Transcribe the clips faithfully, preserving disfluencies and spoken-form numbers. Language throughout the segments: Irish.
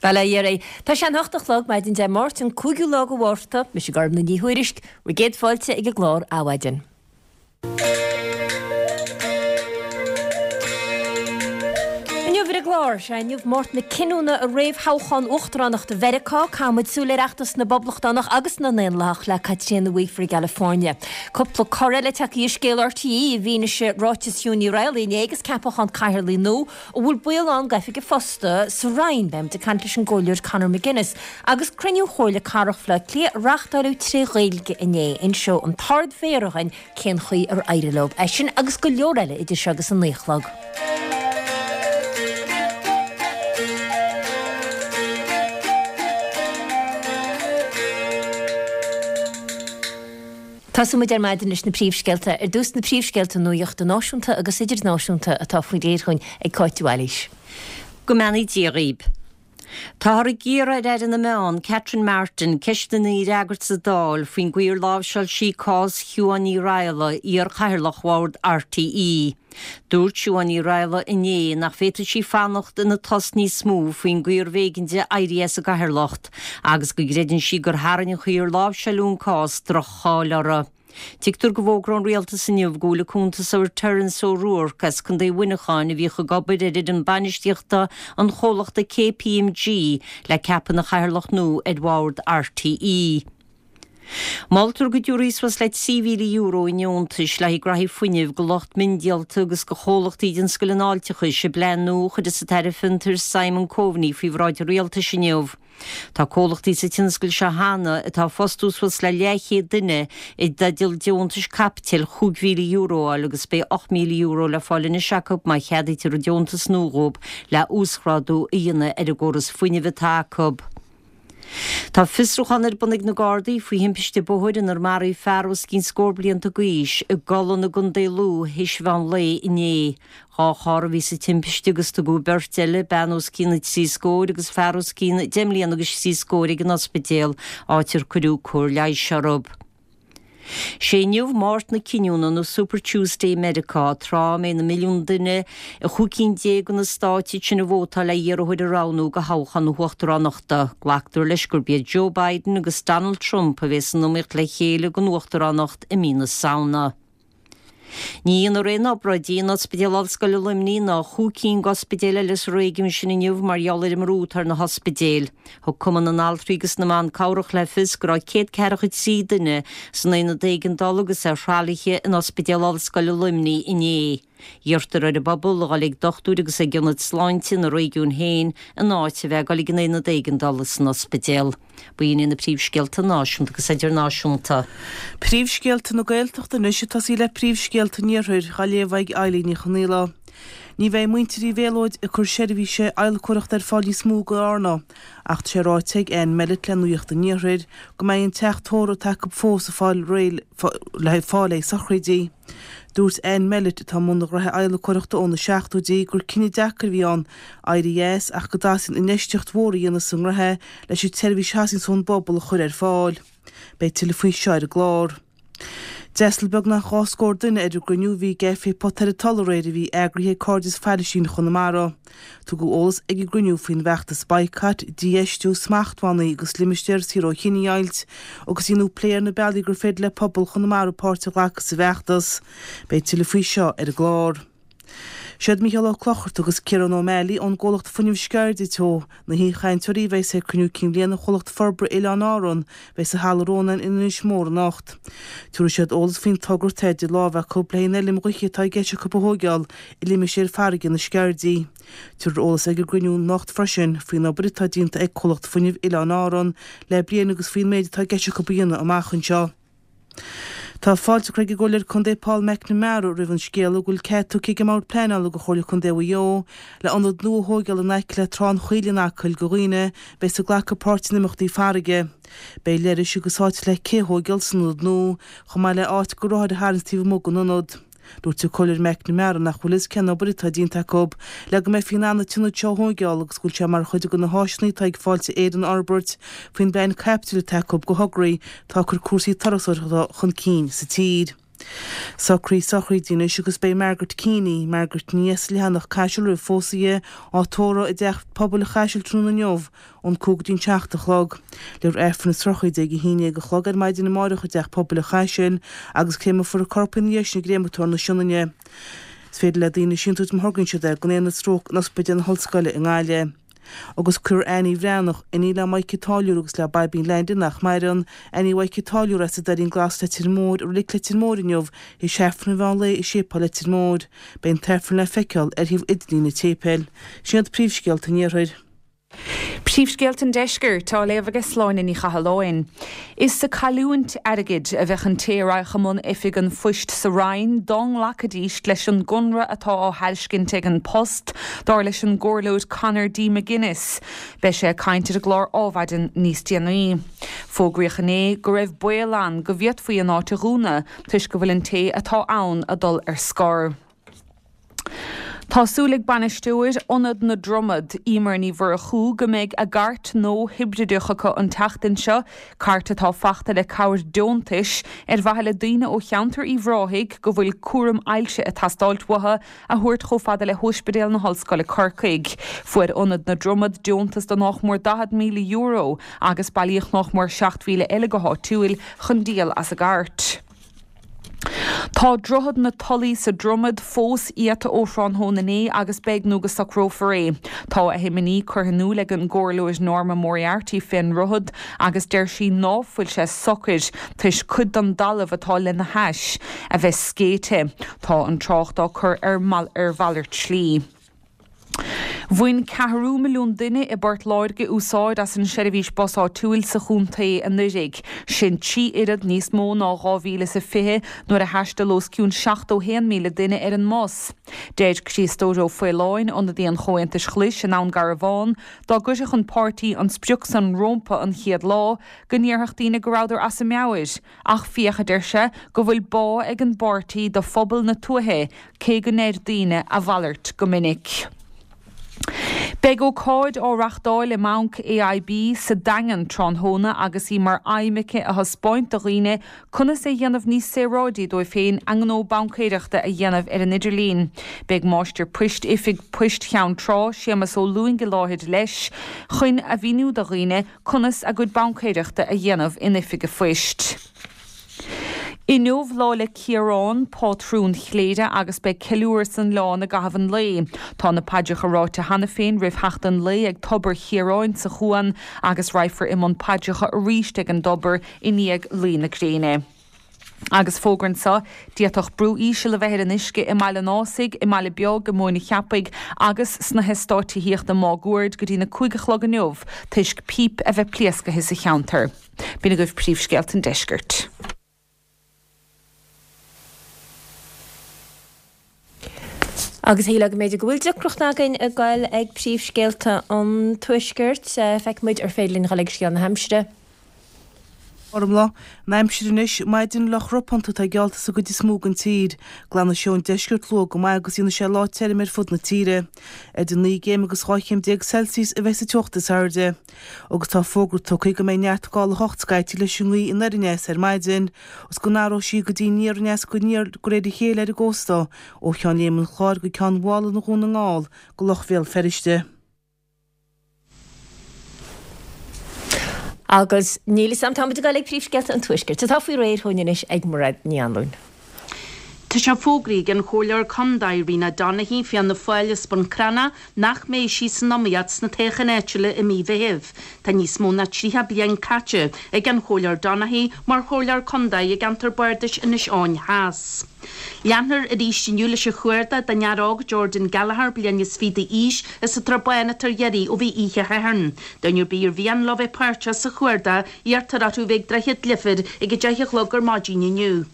Bail ó Dhia oraibh. Tá sé an hocht a chlog maidin Dé Máirt an cúigiú lá de Mhárta, mise Gormlaith Ní Thuairisg, bhur gcéad fáilte ag an gclár Adhmhaidin. Inniu ar an gclár, sé inniu Máirt na Cinniúna i réamhthoghchán uachtaránachta Mheiriceá, caithfimid súil ar fheachtas na bPoblachtánach agus na nDaonlathach le Caitríona Weaver i gCalifornia. Cúpla cor eile tagtha i scéal RTÉ i bhfianaise ráiteas Shiún Ní Raghallaigh inné agus ceapachán cathaoirligh nua a bhfuil baol ann d'oifig a phosta sa Roinn. Beimid ag caint leis an gComhairleoir Conor McGuinness agus cruinniú Chomhairle Cathrach Bhaile Átha Cliath a reáchtáileadh tré Ghaeilge inné. Inseoidh an tArd-Mhéara dhuinn cén chaoi ar éirigh leo. É sin agus go leor eile idir seo agus a naoi a chlog. Tosóidh muid ar maidin leis na príomhscéalta. Ar dtús na príomhscéalta nuachta náisiúnta agus idirnáisiúnta atá faoi réir chugainn ag Cáit de Bhailís. Go mbeannaí Dia dhaoib. Táthar ag iarraidh ar Aire na Meán, Catherine Martin, ceisteanna a fhreagairt sa Dáil faoin gcaoi ar láimhseáil sí cás Shiúán Ní Raghallaigh, iar-chathaoirleach bhord RTÉ. Dúirt Siúán Ní Raghallaigh inné nach bhféadfadh sí fanacht ina tost níos mó faoin gcaoi arbh éigean di éirí as an gcathaoirleacht agus go gcreideann sí gur tharraing an chaoi ar láimhseáileadh an cás droch-cháil uirthi. Tuigtear go bhfógróidh an Rialtas inniu go bhfuil an cuntasóir Terence O'Rourke as Contae Mhuineacháin a bhíodh ag obair ar fhoireann bainistíochta an chomhlachta KPMG le ceapadh ina chathaoirleach nua ar bhord RTÉ. Moltar go dtabharfaí suas le trí mhíle euro i ndeontais le haghaidh graithí fuinnimh go lucht miondíolta agus go chomhlachtaí den scoil an fháilteachais i bplean nua a chuirfeas an tAire Fiontair Simon Coveney faoi bhráid an Rialtais inniu. Tá comhlachtaí sa tionscal seo cheana atá ag fostú suas le leathchéad duine i dteideal deontais caipitil chúig mhíle euro a fháil agus beidh ocht míle euro le fáil anois acu má cheadaítear an deontas nua dhóibh le uasghrádú a dhéanamh ar an gcóras fuinnimh atá acu. Tá fiosrúchán ar bun ag na Gardaí faoi thimpiste bóthair inar maraíodh fear os cionn scór blianta d'aois i gCollann i gContae Lú théis mheán lae inné. Dhá charr a bhí sa timpiste agus tugadh beirt eile, bean os cionn trí scóir agus fear os cionn deich mbliana agus trí scóir ag an ospidéal, áit ar cuireadh cóir leighis orthu. Sé inniu Máirt na Cinniúna nó Super Tuesday i Meiriceá, tráth a mbeidh na milliúin duine i chúig cinn déag de na stáit sin ag vótáil le hiarrthóir a roghnú do thoghchán na huachtaránachta. Glactar leis gurb iad Joe Biden agus Donald Trump a bheas san iomaíocht le chéile don uachtaránacht i mí na Samhna. Ní dhéanfar aon obráidí in Ospidéal Ollscoile Luimnigh ná chúig cinn d'ospidéil eile sa réigiún sin inniu mar gheall ar an mbrú atá ar na hospidéil. Thug Cumann na nAltraí agus na mBan Cabhrach le fios go raibh céad ceathracha trí duine san aonad éigeandála agus ar thralaithe in Ospidéal Ollscoile Luimnigh inné. Iarrtar ar an bpobal a dhul ag dochtúir agus ag ionaid sláinte ina réigiún féin in áit a bheith ag dul ag an aonad éigeandála san ospidéal. B'in iad na príomhscéalta náisiúnta agus idirnáisiúnta. Príomhscéalta na Gaeltachta anois ag tosaí le príomhscéalta an Iarthair, á léamh ag Eilín Ní Chonaola. Ní bheidh muintir Uí Mhéalóid ag cur seirbhíse adhlacóireachta ar fáil níos mó go Árna, ach tá sé ráite ag Anne Mellett le Nuacht an Iarthair go mbeidh an teach tórraimh atá acu fós ag fáil réidh le fáil le sochraidí. Dúirt Anne Mellett, atá i mbun a ghnoithe adhlacóireachta ó na seachtóidí, gur cinneadh deacair a bhí ann éirí as ach go dteastaíonn infheistíocht mhór a dhéanamh sa ngnótha leis an tseirbhís a theastaíonns ón bpobal a chur ar fáil. Beidh tuilleadh faoi seo ar an gclár. D'fhreastail beagnach dhá scór duine ar an gcruinniú a bhí i gCaifé Pot ar an Toll aréir a bhí eagraithe ag Cairdeas Phailistín Chonamara. Tugadh eolas ag an gcruinniú faoin bhfeachtas Boycott, Dífheistiú, Smachtbhannaí agus Limistéar Saor ó Chinedheighilt agus dhéanadh plé ar na bealaí gur féidir le pobal Chonamara páirt a ghlacadh sa bhfeachtas. Beidh tuilleadh faoi seo ar an gclár. Siad Mícheál Ó Clochartaigh agus Ciarán Ó Meallaigh ón gcomhlacht Fuinneamh Sceirde Teo na haoichainteoirí a bheas ag cruinniú cinn bhliana Chomhlacht Forbartha Oileáin Árann a bheas i Halla Rónáin in Inis Mór anocht. Tabharfaidh siad eolas faoin togra atá idir lámha acu le haghaidh an fheilm ghaoithe atá i gceist acu a thóigeáil i limistéar farraige na Sceirdí. Tabharfar eolas ag an gcruinniú anocht freisin faoin obair atá déanta ag Comhlacht Fuinnimh Oileáin Árann le bliain agus faoin méid atá i gceist acu a dhéanamh amach anseo. Tá fáilte curtha ag an gComhairleoir Contae Paul McNamara roimh an scéala go bhfuil cead tugtha ag an mBord Pleanála do Chomhairle Contae Mhaigh Eo le ionad nua a thóigeáil in aice le Trá an Choill in Acaill do dhaoine a bheas ag glacadh páirt in imeachtaí farraige. Beidh leithris agus áit le cé a thóigeáil san ionad nua, chomh maith le áit do rothair a tharraingt taobh amuigh den ionad. Dúirt an Comhairleoir McNamara nach bhfuil fhios cén obair atá déanta acu le go mbeifí in ann an t-ionad seo a thóigeáil agus go bhfuil sé mar chuid de na háiseanna atá ag Fáilte Éireann a fhorbairt faoin bplean caipitil atá acu do thograí atá ag cur cúrsaí turasóireachta chun cinn sa tír. Socruithe sochraide anois agus beidh Margaret Keaney, Margaret Ní as Leathanach Caiseal roimh phósadh di, á tórramh i dTeach Pobail an Chaisil tráthnóna inniu ón cúig go dtí'n seacht a chlog. Léifear Aifreann na sochraide ag a haon déag a chlog ar maidin amáireach i dTeach Pobail an Chaisil agus créamfar a corp ina dhiaidh sin i gcréamatóir na Sionainne. Is féidir le daoine síntiús má thorgaíonn siad é don Aonad Stróc in Ospidéal na hOllscoile i nGaillimh. Agus cuirfear Annie Bhreathnach, iníon le Mike an Táilliúra agus le Baibín Leainde nach maireann, Annie Mhaidhc an Táilliúra as an Doirín Glas Leitir Móir i Reilig Leitir Móir inniu théis Aifreann an mheán lae i Séipéal Leitir Móir. Beidh an t-aifreann le feiceáil ar shuíomh idirlín an tséipéil. Sin iad príomhscéalta an Iarthair. Príomhscéalta an Deiscirt á léamh ag Sláine Ní Chathalláin. Is sa cailliúint airgid a bheadh an té a raghadh i mbun oifig an phoist sa Roinn dá nglacfaidís leis an gconradh atá á thairiscint ag An Post, dar leis an gComhairleoir Conor D. McGuinness. Beidh sé ag caint ar an gclár Adhmhaidin níos déanaí. Fógraíodh inné go raibh baol ann go bhféadfaí an áit a dhúnadh toisc go bhfuil an té atá ann ag dul ar scor. Tá súil ag bainisteoir Ionad na Dromad, Emer Ní Mhurchú, go mbeidh a gcairt nua hibrideach acu an tseachtain seo, cairt atá fachta le cabhair deontais ar mhaithe le daoine ó cheantar Uíbh Ráthaigh go bhfuil cúram ailse ag teastáilt uathu a thabhairt chomh fada le hOspidéal na hOllscoile Corcaigh. Fuair Ionad na Dromad deontas de nách mór daichead míle euro agus bailíodh nách mór seacht mhíle eile go háitiúil chun díol as an gcairt. Tá Droichead na Tulaí sa Dromad fós iata ó thráthnóna inné agus beidh nó go socrófar é. Tá a himní curtha in iúl ag an gComhairleoir Norma Moriarty fén ndroichead agus deir sí ná fuil sé socair toisc cuid den dtalamh atá lena hais a bheith scéite. Tá an trácht á cur ar ar mhalairt slí. Bhain ceathrú milliún duine i bPort Láirge úsáid as an seirbhís bus áitiúil sa chontae anuraidh. Sin trí oiread níos mó ná dhá mhíle is a fiche nuair a thaistil os cionn seachtó haon míle duine ar an mbus. Deir Críostóir Ó Faoláin, ionadaí an Chomhaontais Ghlais i nDún Garbhán, dá gcuirfeadh an páirtí an sprioc san rómpa an chéad lá, go ndéarfadh daoine go rabhadar as a meabhair. Ach féach, a deir sé, go bhfuil bá ag an bpáirtí do phobal na tuaithe, cé go ndeir daoine a mhalairt go minic. Beidh ócáid á reachtáil i mBanc AIB sa Daingean tráthnóna agus í mar aidhm aici a thaispeáint do dhaoine conas é a dhéanamh níos saoráidí dóibh féin a ngnó baincéireachta a dhéanamh ar an idirlíon. Beidh Máistir Poist Oifig Poist Cheann Trá, Séamus Ó Lúing i láthair leis chun a mhíniú do dhaoine conas a gcuid baincéireachta a dhéanamh in Oifig a Phoist. Inniu Lá 'le Ciarán, pátrún Chléire, agus beidh ceiliúradh san oileán i gcaitheamh an lae. Tá na paidreacha ráite cheana féin roimh theacht an lae ag Tobar Chiaráin sa Chuan agus raghfar i mbun paidreacha arís ag an dtobar i ndiaidh luí na gréine. Agus fógra anseo, d'fhéadfadh brú íseal a bheith ar an uisce i mBaile an Ásaigh, i mBaile Beag, i Móin an Cheapaigh agus sna heastáit tithíochta máguaird go dtí na cúig a chlog inniu toisc píp a bheith pléascaithe sa cheantar. B'in agaibh príomhscéalta an deiscirt. Agus shílfeá go mb'fhéidir go bhfuil deacracht againn ag goil ag príomhscéalta an tuaiscirt. Feicfidh muid ar féidir linn dhul ag scéal na haimsire. Gormfhlaith, An aimsir anois, maidin fhliuch ropánta atá geallta sa gcuid is mó den tír. Glanfaidh sé ón deisceart luath go maith agus déanfaidh sé lá tirim ar fud na tíre. Idir naoi gcéim agus dhá chéim déag Celsius a bheidh sa teocht is airde. Agus tá fógra tugtha go mbeidh neart gála a hocht scaití leis an ngaoth anoir aneas ar maidin, is go n-athróidh sí go dtí aniar aneas go aniar de réir a chéile ar an gcósta ó Cheann Léim an Chláir go Ceann Mhálanna Dhún na nGall go Loch Bhéal Feirste. Agus níl 'fhios a'm, táimid ag dul ag príomhscéalta an Tuaiscirt, atá faoi réir chugainn anois ag Mairéad Ní Anluain. Tá sé fógraithe ag an Chomhairleoir Contae Rena Donaghey, Fianna Fáil as Bun Cranncha, nach mbeidh sí san iomaíocht sna toghcháin áitiúla i mí Mheithimh. Tá níos mó ná tríocha bliain caite ag an Chomhairleoir Donaghey mar Chomhairleoir Contae i gceantar Bardais Inis Eoghain Theas. Leanfar arís inniu leis an chuardach don fhear óg Jordan Gallagher, bliain is fiche d'aois, as an tSrath Bán atá ar iarraidh ó bhí oíche Shathairn. Duine ar bith ar mhian leo bheith páirteach sa chuardach, iarrtar orthu bheith ag Droichead Leifir ag a deich a chlog ar maidin inniu.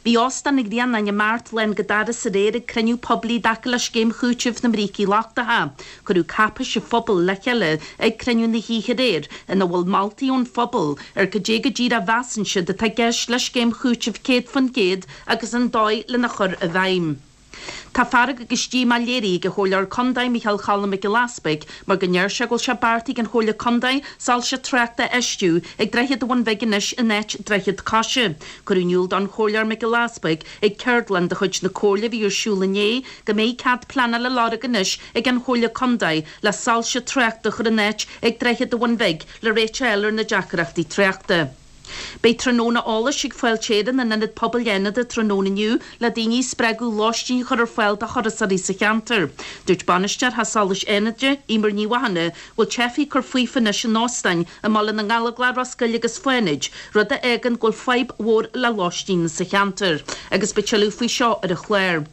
Bhí Óstán an Ghrianáin i mBeart lán go doras aréir ag cruinniú poiblí i dtaca le scéim chúitimh na mbrící lochtacha. Cuireadh cáipéis an phobail le chéile ag cruinniú na hoíche aréir ina bhfuil moltaí ón phobal ar cad é go díreach a mheasann siad atá i gceist le scéim chúitimh céad faoin gcéad agus an dóigh lena chur i bhfeidhm. Tá fearg agus díomá léirithe ag an Chomhairleoir Contae Micheál Choilm Mac Giolla Easpaig mar go ndeir sé go bhfuil sé beartaithe ag an Chomhairle Contae soilse tráchta a fheistiú ag Droichead an Bhun Bhig anois in áit Droichead Coise. Cuireadh in iúl don Chomhairleoir Mac Giolla Easpaig ag ceardlann de chuid na Comhairle a bhí ar siúl inné go mbeidh cead pleanála á lorg anois ag an Chomhairle Contae le soilse tráchta a chur in áit ag Droichead an Bhun Bhig le réiteach a fháil ar na deacrachtaí tráchta. Beidh tráthnóna eolais ag Fáilte Éireann in Ionad Pobail Fhánada tráthnóna inniu le daoine a spreagadh lóistín a chur ar fáil do thurasóirí sa cheantar. Dúirt bainisteoir Theach Solais Fhánada, Emer Ní Mhathúna, go bhfuil teifigh ag cur faofa anois in óstáin i mBaile na nGallóglach, Ros Goill agus Fánaid, rud a fhágann go bhfuil fadhb mhór le lóistín sa cheantar. Agus beidh tuilleadh faoi seo ar an chlár.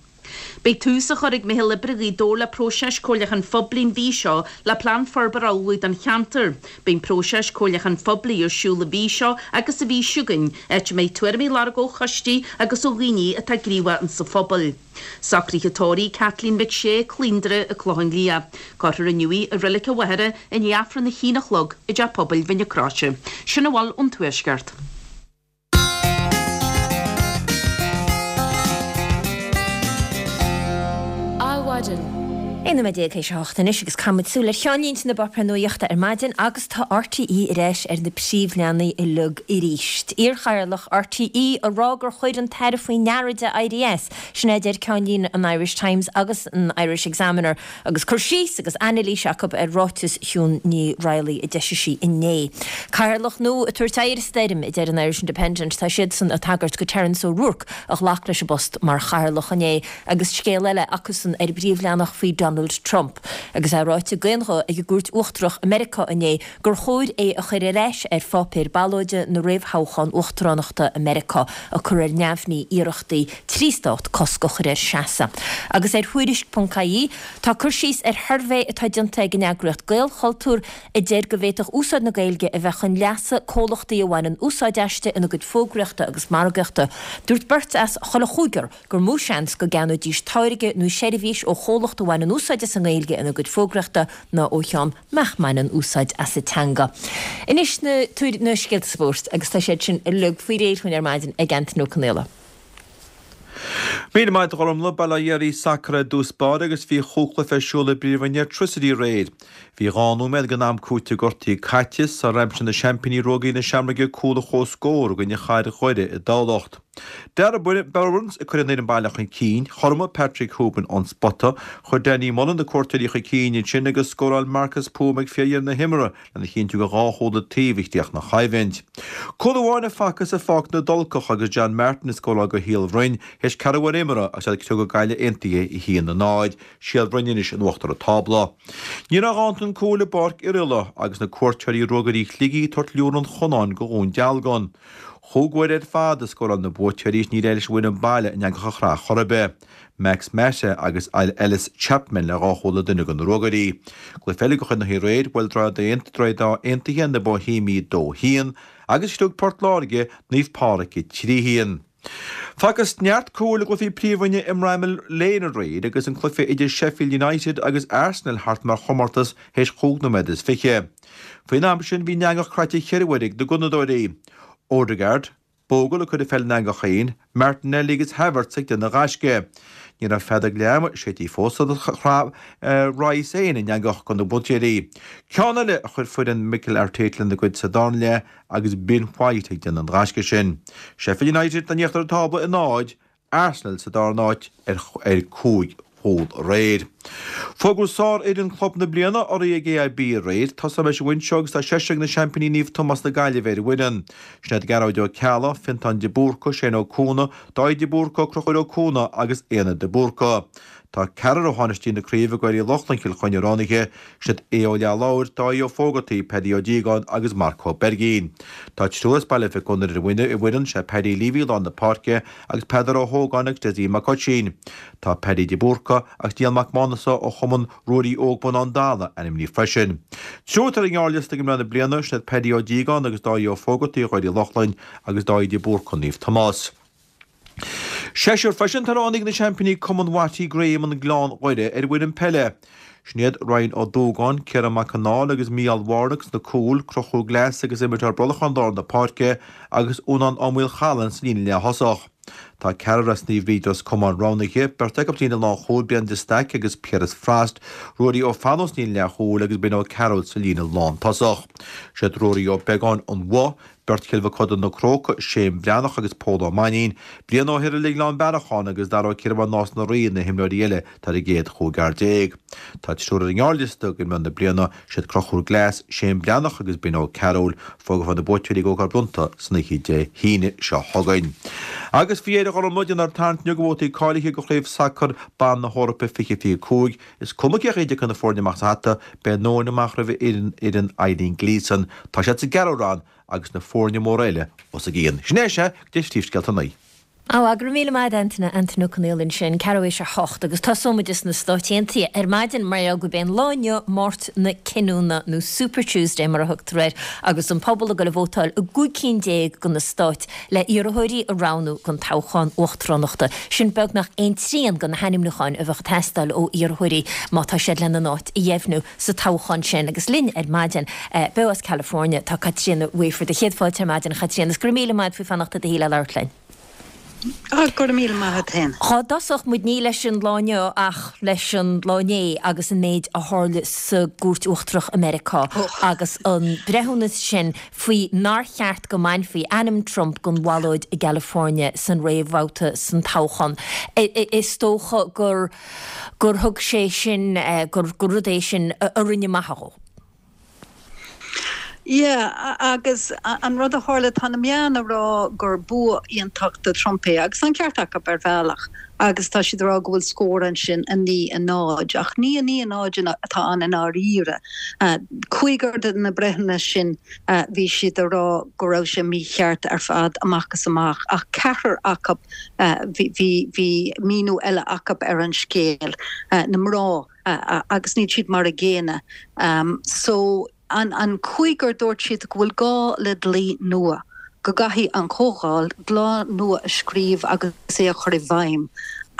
Beidh tús á chur ag Meitheal Oibre Ghaoth Dobhair le próiseas comhairliúcháin phoiblí an mhí seo le plean forbartha a ullmhú don cheantar. Beidh an próiseas comhairliúcháin phoiblí ar siúl an mhí seo agus an mhí seo chugainn, áit a mbeidh tuairimí á lorg ó choistí agus ó dhaoine atá gníomhach insa phobal. Socruithe tórraimh Kathleen McShea, Cluain Doire, an Clochán Liath. Cuirfear inniu í i Reilig an Mhachaire i ndiaidh Aifreann a haon a chlog i dTeach Pobail Mhín na Croise. Sin a bhfuil ón Tuaisceart. Adhmhaidin. Aon nóiméad déag théis a hocht anois agus caithfimid súil ar cheannlínte na bpáipéar nuachta ar maidin agus tá RTÉ ar ais ar na príomhleathanaigh uilig arís. Iarchathaoirleach RTÉ ag rá gur chuir an tAire faoi ndeara di éirí as, sin é a deir ceannlíne an Irish Times agus an Irish Examiner agus cur síos agus anailís acu ar ráiteas Shiún Ní Raghallaigh a d'eisigh sí inné. Cathaoirleach nua ag tabhairt aghaidh ar an stoirm, a deir an Irish Independent. Tá siadsan ag tagairt go Terence O'Rourke a ghlac leis an bpost mar chathaoirleach inné agus scéal eile acusan ar an bpríomhleathanach faoi Donald Trump agus é ráite d'aon ghuth ag an gCúirt Uachtarach i Meiriceá inné gur chóir é a chur ar ais ar pháipéar ballóide na réamhthoghchán uachtaránachta i Meiriceá, ag cur ar neamhní iarrachtaí trí stát cosc a chur air seasamh. Agus ar Thuairisc ponc ie tá cur síos ar shuirbhé atá déanta ag an eagraíocht Gaelchultúr a deir go bhféadfadh úsáid na Gaeilge a bheith chun leasa comhlachtaí a bhaineann úsáid aisti ina gcuid fógraíochta agus margaíochta. Dúirt beirt as chuile chúigear gur mó seans go gceannóidís táirge nó seirbhís ó chomhlacht a bhaineann úsáid as an nGaeilge ina gcuid fógraíochta ná ó cheann nach mbaineann úsáid as an teanga. Anois na na scéalta spóirt agus tá siad sin uilig faoi réir dúinn ar maidin ag Anthony Ó Conaola. Míle maith agat a Ghormfhlaith, bail ó Dhia oraibh sacar i dtús báire agus bhí chúig chluiche ar siúl i bPríomhroinn Airtricity aréir. Bhí dhá nóiméad den am cúitimh gortaithe caite sar aimsigh na seaimpíní Ruagairí na Seamróige cúl a chomhscór i gcoinne Chathair Dhoire i dTamhlacht. Darragh Burns ag cur an fhoireann baile chun cinn, chothromaigh Patrick Hoban ón spota, chuir Danny Mullen na cuairteoirí chun cinn ansin agus scóráil Marcus Poom ag fíordheireadh na himeartha lena chinntiú gur dhá chúl an taobh a chríochnaigh an choimhlint. Cúl amháin a facthas i bPáirc na dTulcach agus John Martin ag scóráil do Shíol Bhroin théis ceathrú uair imeartha agus iad ag criogadh Gaillimh Aontaithe a haon a náid, Síol Bhroin anois in uachtar an tábla. Ní raibh a dhán don cúl i bPáirc Oirialla agus na cuairteoirí Ruagairí Shligigh ag tabhairt liúr an Chonáin go Dhún Dealgan. Chúig uair ar fad a scóráil na buaiteoirí is níor éirigh leis an bhfoireann baile an eangach a chrá chor ar bith. Max Mata agus Ellis Chapman le dhá chúl an duine do na Ruagairí. Cluiche eile de chuid na haréir, bhuail Droichead Átha Aontaithe na Boihéimigh dó haon agus shliog Port Láirge Naomh Pádraig a trí haon. Facthas neart cúil i gcluichí príomhroinne i mBramall Lane aréir agus an cluiche idir Sheffield United agus Arsenal thart mar chomórtas théis chúig nóiméad is fiche. Faoin am sin bhí an eangach croite ceithre huaire ag na gunnadóirí. Odegaard, Bogle ag cur an pheil ina eangach féin, Martinelli agus Havertz ag déanamh gaisce. Ní raibh feadóg leath ama séidte fós sular chraith Rice féin an eangach do na buaiteoirí. Ceann eile a chuir foireann Mikel Arteta lena gcuid sa darna leath agus Ben White ag déanamh an ghaisce sin. Sheffield United in íochtar an tábla a náid, Arsenal sa darna háit ar cúig chúl aréir. Fógraíodh sárfhoireann Chlub na Bliana urraithe ag AIB aréir. Tosóidh mé leis an bhfoinse agus tá seisear ag na seaimpíní Naomh Tomás na Gaillimhe ar an bhfoireann. Sin iad Gearóid Ó Ceallaigh, Fiontán de Búrca, Shane Ó Cuana, Dáithí de Búrca, Conchúr Ó Cuana agus Éanna de Búrca. Tá ceathrar ó thánaistí na craoibhe Gaeil Uí Lochlainn Chill Chainnigh roghnaithe, sin iad Aodh Ó Leathlobhair, Dáithí Ó Fógartaigh, Paddy Ó Díogáin agus Marc Ó Beirgín. Tá triúr as Baile Mhic Gonair ar an bhfoireann, sé Paddy Leavey i lár na páirce agus Peadar Ó hÓgáin agus Dessie Mac Oisín. Tá Paddy de Búrca agus Niall Mac Mánasa ó Chumann Ruairí Óg Bonnán Dalla ainmnithe freisin. Triúr atá ar an ngearrliosta ag mná na bliana, sin iad Paddy Ó Díogáin agus Dáithí Ó Fógartaigh Ghaeil Uí Lochlainn agus Dáithí de Búrca Naomh Tomás. Seisear freisin atá roghnaithe ag na seaimpíní Cumann Watty Graham an Gleann Dhoire ar an bhfoireann peile. Sin iad Ryan Ó Dúgáin, Ciarán Mac Con Ádhaimh agus Mícheál Warnock sna cúil, Conchúr Glass agus imreoir Brollachán lár na páirce agus Únán Ó Maolchallann sa líne leath-thosach. Tá ceathrar as Naomh Bríd Ros Comáin roghnaithe, beirt acu sa líne lánchúil, Brian de Staic agus Piaras Frost, Ruairí Ó Fearnáin sa líne leathchúil agus Ben O'Carroll sa líne lántosach. Siad Ruairí Ó Beagáin, An Bhoth, beirt Chill Mhochuda Na Cróca, Shane Breathnach agus Pól Ó Mainnín, Brian Ó hIrghile Gleann Bearacháin agus Dara Ó Ciarmháin Nás na Rí na himreoirí eile atá ar an gcéad chúigear déag. Tá triúr ar an ngearrliosta do imreoir na bliana, siad Conchúr Glass, Shane Breathnach agus Ben O'Carroll. Fógrófar na buaiteoirí ag ócáid bronnta san oíche Dé hAoine seo chugainn. Agus faoi dheireadh a Ghormfhlaith, déanfar tarraingt inniu do bhabhtaí cáilithe do Chraobh Sacair Ban na hEorpa fiche fiche cúig. Is cuma cén chaoi a dtiocfaidh na foirne amach as an hata, beidh an nóin amach roimh fhoireann Eileen Gleeson. Tá siad sa gceathrú roinn agus na foirne móra eile os a gcionn. Sin é sea, go dtí príomhscéalta a naoi. Á, go raibh míle maith agat Antaine, Antaine Ó Conaola ansin, ceathrú théis a hocht agus tosóimid sna Stáit Aontaithe ar maidin mar gheall gurb é an lá inniu Máirt na Cinniúna nó Super Tuesday mar a thugtar air agus an pobal ag dul a vótáil i gcúig cinn déag de na stáit le iarrthóirí a roghnú don toghchán uachtaránachta. Sin beagnach aon trian de na hainmniúcháin a bheadh ag teastáil ó iarrthóirí má tá siad lena n-áit a dheimhniú sa toghchán sin. Agus linn ar maidin, beo as California, tá Caitríona Wafer. Céad fáilte ar maidin, a Chaitríona, is go raibh míle maith agat faoi fanacht i do shuí le labhairt linn. Á, go raibh míle maith agat féin. Dhá dtosódh muid ní leis an lá inniu ach leis an lá inné agus an méid a tharla sa gCúirt Uachtarach i Meiriceá agus an breithiúnas sin faoi nár cheart go mbainfí ainm Trump den bhallóid i gCalifornia san réamhbhabhta san toghchán. Is dócha gur gur thug sé sin, gur rud é sin a rinne maith dhó. Yeah, agus an rud a tharla, tá na meáin ag rá gur bua iontach do Trump é, agus an ceart acu ar bhealach, agus tá siad ag rá go bhfuil scór ansin a naoi a náid, ach ní a naoi a náid atá ann i ndáiríre. Cúigear de na breithiúna sin, bhí siad ag rá go raibh sé mícheart ar fad amach is amach, ach ceathrar acu, bhí bhí míniú eile acu ar an scéal, na mná, agus níl siad mar a gcéanna. So. An cúigear dúirt siad go bhfuil gá le dlí nua, go gcaithfidh an Chomhdháil dlí nua a scríobh agus é a chur i bhfeidhm.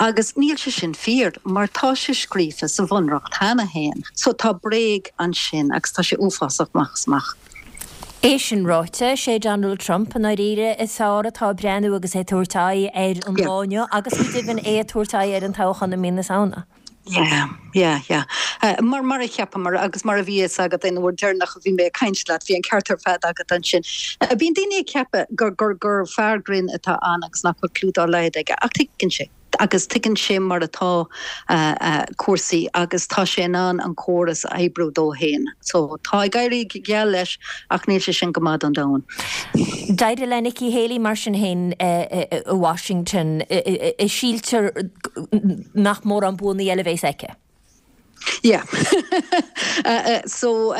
Agus níl sé sin fíor mar tá sé scríofa sa Bhunreacht cheana féin. So tá bréag ansin agus tá sé uafásach amach is amach. É sin ráite, sé Donald Trump i ndáiríre is fearr atá ag breathnú agus é ag tabhairt aghaidh ar an lá inniu agus go deimhin é ag tabhairt aghaidh ar an toghchán i mí na Samhna. Yeah, yeah, yeah. Mar, mar a cheapamar agus mar a bhí fhios agat an uair deireanach a bhí mé ag caint leat, bhí an ceart ar fad agat ansin. Bíonn daoine ag ceapadh gur, gur, gur fear grinn atá ann agus nach bhfuil cliú dá laghad aige, ach tuigeann sé. Agus tuigeann sé mar atá cúrsaí agus tá sé in ann an córas a oibriú dó féin. So, tá ag éirí go geal leis ach níl sé sin go maith don domhan. D'éirigh le Nikki Haley mar sin féin i Washington. Síltear nach mórán buanna eile a bheas aici. Yeah. So,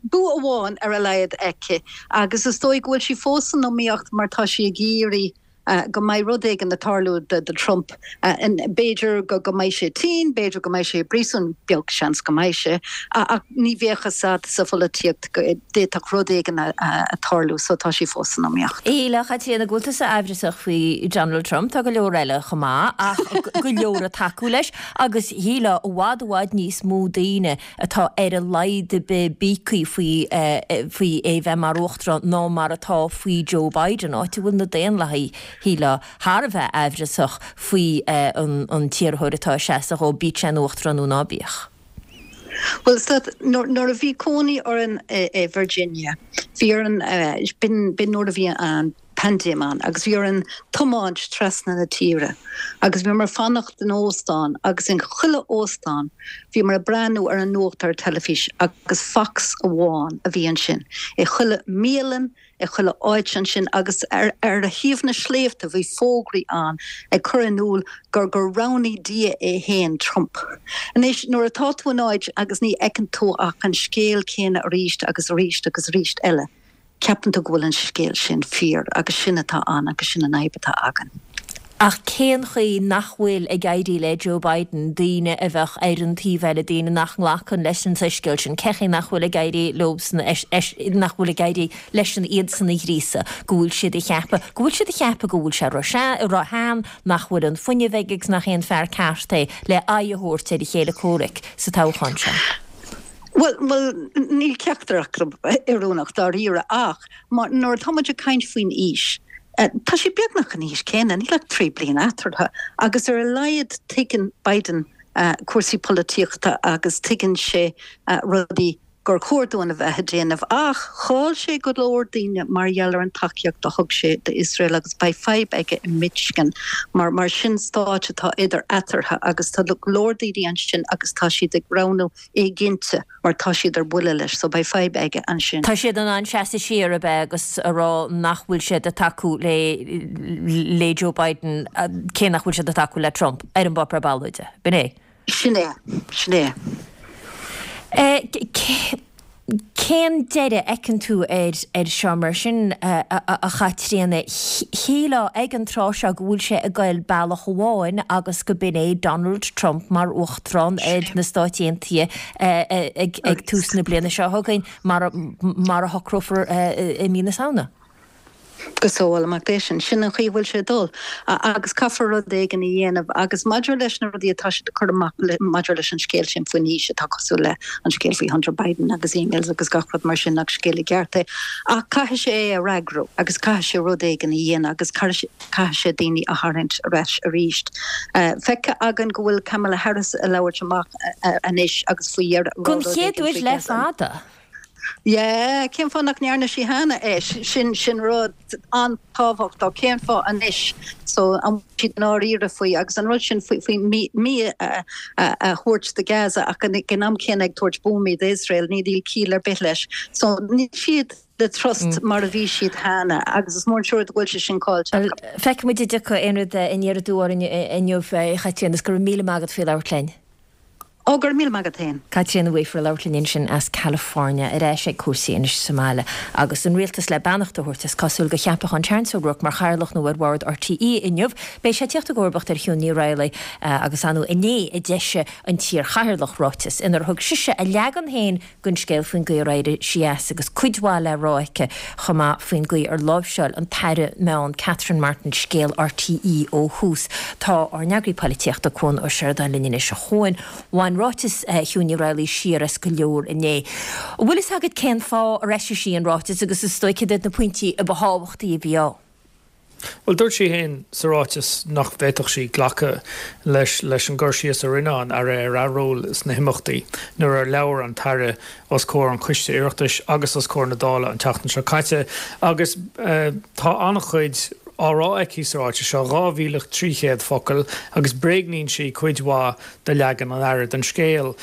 bua amháin ar a laghad aici agus is dóigh go bhfuil sí fós san iomaíocht mar tá sí ag iarraidh go mbeidh rud éigin ag tarlú do Trump. B'fhéidir go mbeidh sé tinn, b'fhéidir go mbeidh sé i bpríosún, beag seans go mbeidh sé, ach ní bheadh fhios agat sa pholaitíocht, d'fhéadfadh rud éigin a tarlú so tá sí fós san iomaíocht. Éile, a Chaitríona, go bhfuil tusa aimhreasach faoi Donald Trump, tá go leor eile chomh maith ach go leor ag tacú leis agus shílfeá i bhfad i bhfad níos mó daoine atá ar a laghad ar bith bíogtha faoi faoi é bheith mar uachtarán ná mar atá faoi Joe Biden, áit a bhfuil na Daonlathaigh, shílfeá, thar a bheith aimhreasach faoi an t-iarrthóir atá ag seasamh dhó, bíodh sé ina uachtarán nó ná bíodh. Bhuel, nuair a bhí cónaí orainn i Virginia, bhí orainn, b'in nuair a bhí an paindéim ann, agus bhí orainn tiomáint trasna na tíre agus bhíomar ag fanacht in óstán agus in chuile óstán bhíomar ag breathnú ar an nuacht ar teilifís agus Fox amháin a bhí ansin i chuile mbialann, i chuile áit ansin agus ar ar thaobh na sléibhte bhí fógraí ann ag cur in iúl gur gur roghnaigh Dia é féin Trump. Anois nuair atá tú in áit agus ní fheiceann tú ach an scéal céanna arís agus arís agus arís eile, ceapann tú go bhfuil an scéal sin fíor agus sin atá ann agus sin an fhadhb atá againn. Ach cén chaoi nach bhfuil ag éirí le Joe Biden daoine a bheadh ar an taobh eile, daoine nach nglacann leis an soiscéal sin, cén chaoi nach bhfuil ag éirí leosan, nach bhfuil ag éirí leis-sean iadsan a ghríosadh, go bhfuil siad ag ceapadh, go bhfuil siad ag ceapadh go bhfuil sé ró-shean, nach bhfuil an fuinneamh aige agus nach é an fear ceart é le aghaidh a thabhairt ar a chéile comhraic sa toghchán seo? Bhuel, bhuel, níl ceachtar acu oiriúnach dáiríre ach nuair atá muid ag caint faoin aois, Tá siad beagnach an aois céanna, níl ach trí bliana eatarthu, agus ar a laghad tuigeann Biden cúrsaí polaitíochta agus tuigeann sé rudaí gur chóir dúinn a bheith ag déanamh. Ach chaill sé go leor daoine mar gheall ar an tacaíocht a thug sé d'Iosrael agus beidh fadhb aige i Michigan mar mar sin stáit atá idir eatarthu agus tá go leor daoine ansin agus tá siad ag roghnú éiginnte mar tá siad ar buile leis so beidh fadhb aige ansin. Tá siad in ann seasamh siar ab ea agus a rá nach bhfuil siad ag tacú le le Joe Biden cé nach bhfuil siad ag tacú le Trump ar an bpáipéar ballóide. B'in é. Sin é. Sin é. Cén deireadh a fheiceann tú air air seo mar sin, a Chaitríona? Shílfeá ag an tráth seo go bhfuil sé ag goil bealach amháin agus go b'in é Donald Trump mar Uachtarán ar na Stáit Aontaithe ag tús na bliana seo chugainn mar a shocrófar i mí na Samhna. Go sábhála Mac Dé sinn. Sin an chaoi a bhfuil sé ag dul. Agus caithfear rud éigin a dhéanamh. Agus maidir leis na rudaí atá siad ag cur amach maidir leis an scéal sin faoin aois atá cosúil le an scéal faoi Hunter Biden agus emails agus gach rud mar sin nach scéal i gceart é. Ach caithfidh sé é a fhreagrú agus caithfidh sé rud éigin a dhéanamh agus caithfidh sé daoine a tharraingt ar ais arís. Feicthe againn go bhfuil Kamala Harris ag labhairt amach anois agus faoi dheireadh rá rud éigin faoi Gaza. Don chéad uair le fada. Yeah, cén fáth nach ndearna sí cheana é? Sin, sin rud an-tábhachtach. Cén fáth anois? So, an bhfuil siad i ndáiríre faoi? Agus an rud sin faoi, faoi mí, mí a, a, a thabhairt do Gaza ach ag an am céanna ag tabhairt buamaí d'Iosrael, níl ciall ar bith leis. So, níl siad le trust mar a bhí siad cheana agus is mór an trua go bhfuil sé sin caillte acu. Feicfidh muid an dtiocfaidh aon rud aniar aduaidh orainn inniu, a Chaitríona, agus go raibh míle maith agat faoi labhairt linn. Ó, go raibh míle maith agat féin. Caitríona Weafer ag labhairt linn ansin as California. Ar ais ag cúrsaí anois sa mbaile agus an rialtas le beannacht a thabhairt, is cosúil, do cheapachán Terence O'Rourke mar chathaoirleach nua ar bhord RTÉ inniu. Beidh sé ag tíocht i gcomharbacht ar Shiún Ní Raghallaigh agus ar ndóigh inné a d'eisigh an t-iarchathaoirleach ráiteas inar thug sise a leagan féin den scéal faoin gcaoi ar éirigh sí as agus cuid mhaith le rá aici chomh maith faoin gcaoi ar láimhseáil an tAire Meán Catherine Martin scéal RTÉ ó thús. Tá ár n-eagraí polaitíochta Cuan Ó Seireadáin linn anois. A Chuain, bhain ráiteas Shiún Ní Raghallaigh siar as go leor inné. An bhfuil fhios agat cén fáth ar eisigh sí an ráiteas agus is dóigh cad iad na pointí a ba thábhachtaí a bhí ann? Bhuel, dúirt sí féin sa ráiteas nach bhféadfadh sí glacadh leis leis an gcur síos a rinne an Aire ar a ról sna himeachtaí nuair a labhair an tAire os comhair an Choiste Oireachtais agus os comhair na Dála an tseachtain seo caite agus tá an-chuid á rá aici sa ráiteas seo, dhá mhíle trí chéad focal, agus bréagnaíonn sí cuid mhaith de leagan an Aire den scéal.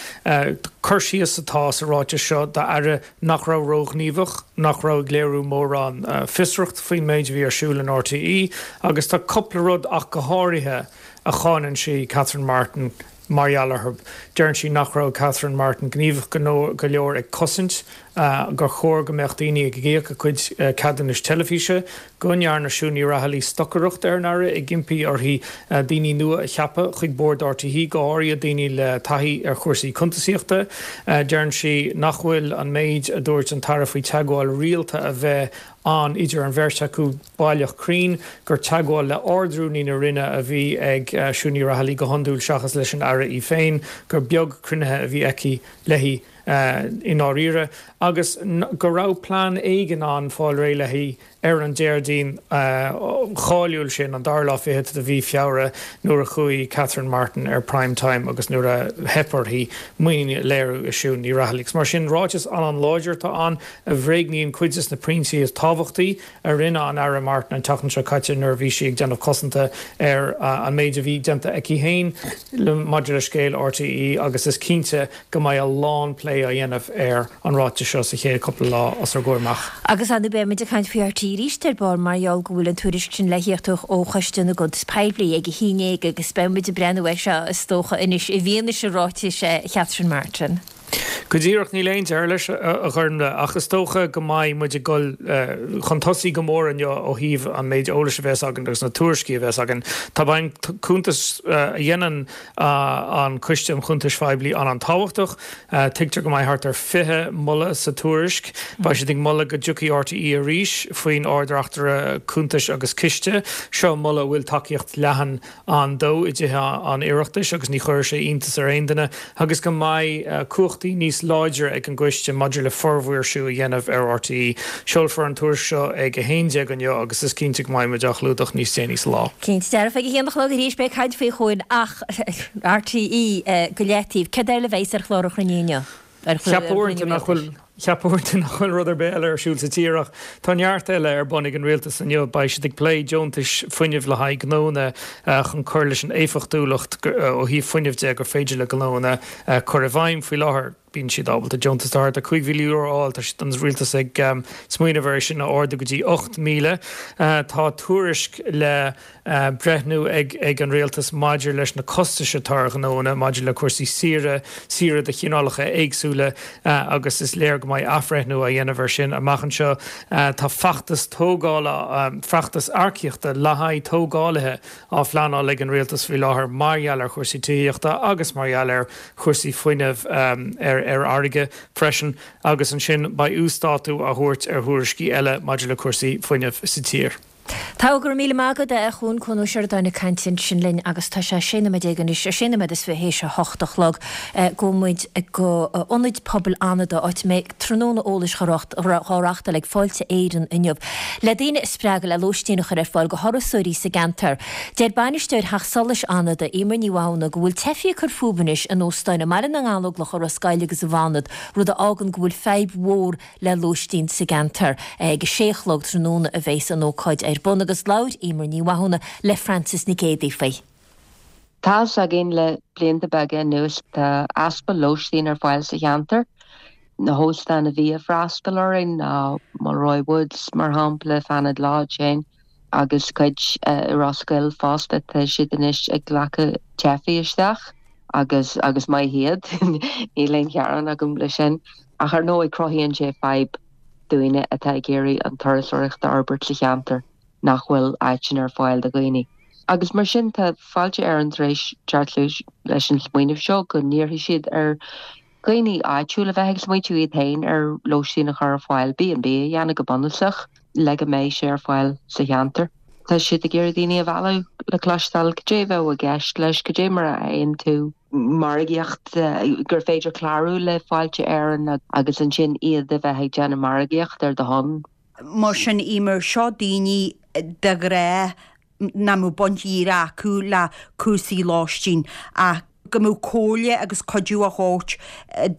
Cur síos atá sa ráiteas seo d'Aire nach raibh róghníomhach, nach raibh ag léiriú mórán fiosracht faoin méid a bhí ar siúl in RTÉ agus tá cúpla rud ach go háirithe a cháineann sí Catherine Martin mar gheall orthu. Deireann sí nach raibh Catherine Martin gníomhach go leor ag cosaint gur chóir go mbeadh daoine ag íoc a gcuid ceadúnais teilifíse, go ndearna Siún Ní Raghallaigh stocaireacht ar an Aire ag impí uirthi daoine nua a cheapadh chuig bord RTÉ, go háirithe daoine le taithí ar chúrsaí cuntasaíochta. Deireann sí nach bhfuil an méid a dúirt an tAire faoi teagmháil rialta a bheith ann idir an bheirt acu baileach cruinn, gur teagmháil le Ard-Rúnaí na Roinne a bhí ag Siún Ní Raghallaigh go hiondúil seachas leis an Aire í féin, gur beag cruinnithe a bhí aici léi i ndáiríre, agus go raibh plean éigin ann fáil réidh léi ar an Déardaoin cháiliúil sin, an dara lá fichead de mhí Feabhra, nuair a chuaigh Catherine Martin ar Prime Time agus nuair a theip uirthi muinín a léiriú i Siún Ní Raghallaigh. Agus mar sin, ráiteas an-an-láidir atá ann a bhréagnaíonn cuid de na pointí is tábhachtaí a rinne an Aire Martin an tseachtain seo caite nuair a bhí sí ag déanamh cosanta ar an méid a bhí déanta aici féin maidir le scéal RTÉ agus is cinnte go mbeidh a lán plé á dhéanamh ar an ráiteas seo sa chéad cúpla lá os ár gcomhair amach. Agus ar ndóigh beidh muid ag caint faoi RTÉ arís ar ball mar gheall go bhfuil an tuairisc sin le thíocht ó Choiste na gCuntas Poiblí ag a haon déag agus beidh muid ag breathnú air seo is dócha anois i bhfianaise ráitis Chatherine Martin. Go díreach, níl aon deireadh leis, a Ghormlaith, ach is dócha go mbeidh muid ag dul chun tosaigh go mór inniu ó thaobh an méid eolais a bheas againn agus na tuairiscí a bheas againn. Tá an cuntas a dhéanann an Coiste um Chuntais Phoiblí an-an-tábhachtach. Tuigtear go mbeidh thart ar fiche moladh sa tuairisc. Beidh siad ag moladh go dtiocfaidh RTÉ arís faoin Ard-Reachtaire Cuntais agus Ciste. Seo moladh a bhfuil tacaíocht leathan ann dó i dTithe an Oireachtais agus ní chuirfidh sé iontas ar aon duine agus go mbeidh cumhachtaí cumhachtaí níos láidre ag an gcoiste maidir le formhaoirsiú a dhéanamh ar RTÉ. Seolfar an tuairisc seo ag a haon déag inniu agus is cinnte go mbeidh muid á chlúdach níos déanaí sa lá. Cinnte dearfa, ag a haon a chlog arís beidh caint faoi chugainn ach RTÉ go leataobh. Cad eile a bheas ar chlár an chruinnithe inniu? Cheapfá uaireanta nach bhfuil Cheapfá uaireanta nach bhfuil rud ar bith eile ar siúl sa tír ach tá neart eile ar bun ag an rialtas inniu. Beidh siad ag plé deontais fuinnimh le haghaidh gnónna chun cur leis an éifeachtúlacht ó thaobh fuinnimh de gur féidir le gnónna cur i bhfeidhm faoi láthair. Bíonn siad ábalta deontas de thart ar cúig mhíle euro a fháil. Tá siad an rialtas ag smaoineamh ar é sin a ardú go dtí ocht míle. Tá tuairisc le breithniú ag ag an rialtas maidir leis na costais atá ar ghnónna maidir le cúrsaí saoire, saoire de chineálacha éagsúla agus is léir go mbeidh athbhreithniú á dhéanamh air sin amach anseo. Tá feachtas tógála, feachtas earcaíochta le haghaidh tógálaithe á phleanáil ag an rialtas faoi láthair mar gheall ar chúrsaí tithíochta agus mar gheall ar chúrsaí fuinnimh ar ar fharraige freisin agus ansin beidh uasdátú á thabhairt ar thuairiscí eile maidir le cúrsaí fuinnimh sa tír. Tá, go raibh míle maith agat, a Chuan, Cuan Ó Seireadáin ag caint ansin linn agus tá sé sé nóiméad déag anois, sé nóiméad is fiche théis a hocht a chlog. Gabhfaidh muid go Ionad Pobail Fhánada, áit a mbeidh tráthnóna eolais á reáchtáil ag Fáilte Éireann inniu le daoine a spreagadh le lóistín a chur ar fáil go thurasóirí sa gceantar. Deir bainisteoir Theach Solais Fhánada, Emer Ní Mhathúna, go bhfuil teifigh ag cur fúthu anois in óstáin i mBaile na nGallóglach, i Ros Goill agus i bhFánad, rud a fhágann go bhfuil fadhb mhór le lóistín sa gceantar. Ag a sé a chlog tráthnóna a bheas an ócáid ar bun agus labhair Emer Ní Mhathúna le Frances Nic Géadaigh faoi. Tá's againn le blianta beaga anuas tá easpa lóistín ar fáil sa cheantar. Na hóstáin a bhí ag freastal orainn ná Mulroy Woods mar shampla, Fanad Lodge féin agus cuid i Ros Goill fosta tá siad anois ag glacadh teifigh isteach agus agus maith iad níl aon ghearán agam leis sin. Ach ar ndóigh cruthaíonn sé fadhb daoine atá ag iarraidh an turasóireacht a fhorbairt sa cheantar nach bhfuil áiteanna ar fáil do dhaoine. Agus mar sin tá Fáilte Éireann tar éis teacht leis an smaoineamh seo go n-iarrfaidh siad ar dhaoine áitiúil a bheith ag smaointiú iad féin ar lóistín a chur ar fáil, B and B a dhéanamh go bunúsach le go mbeidh sé ar fáil sa cheantar. Tá siad ag iarraidh daoine a mhealladh le cloisteáil cad é a bheadh i gceist leis, cad é mar a fhaigheann tú margaíocht, gur féidir clárú le Fáilte Éireann agus ansin iad a bheith ag déanamh margaíocht ar do shon. Mar sin, Emer, seo daoine de ghnáth nach mbeadh baint dhíreach acu le cúrsaí lóistín ach go mbeadh comhairle agus cuidiú á thabhairt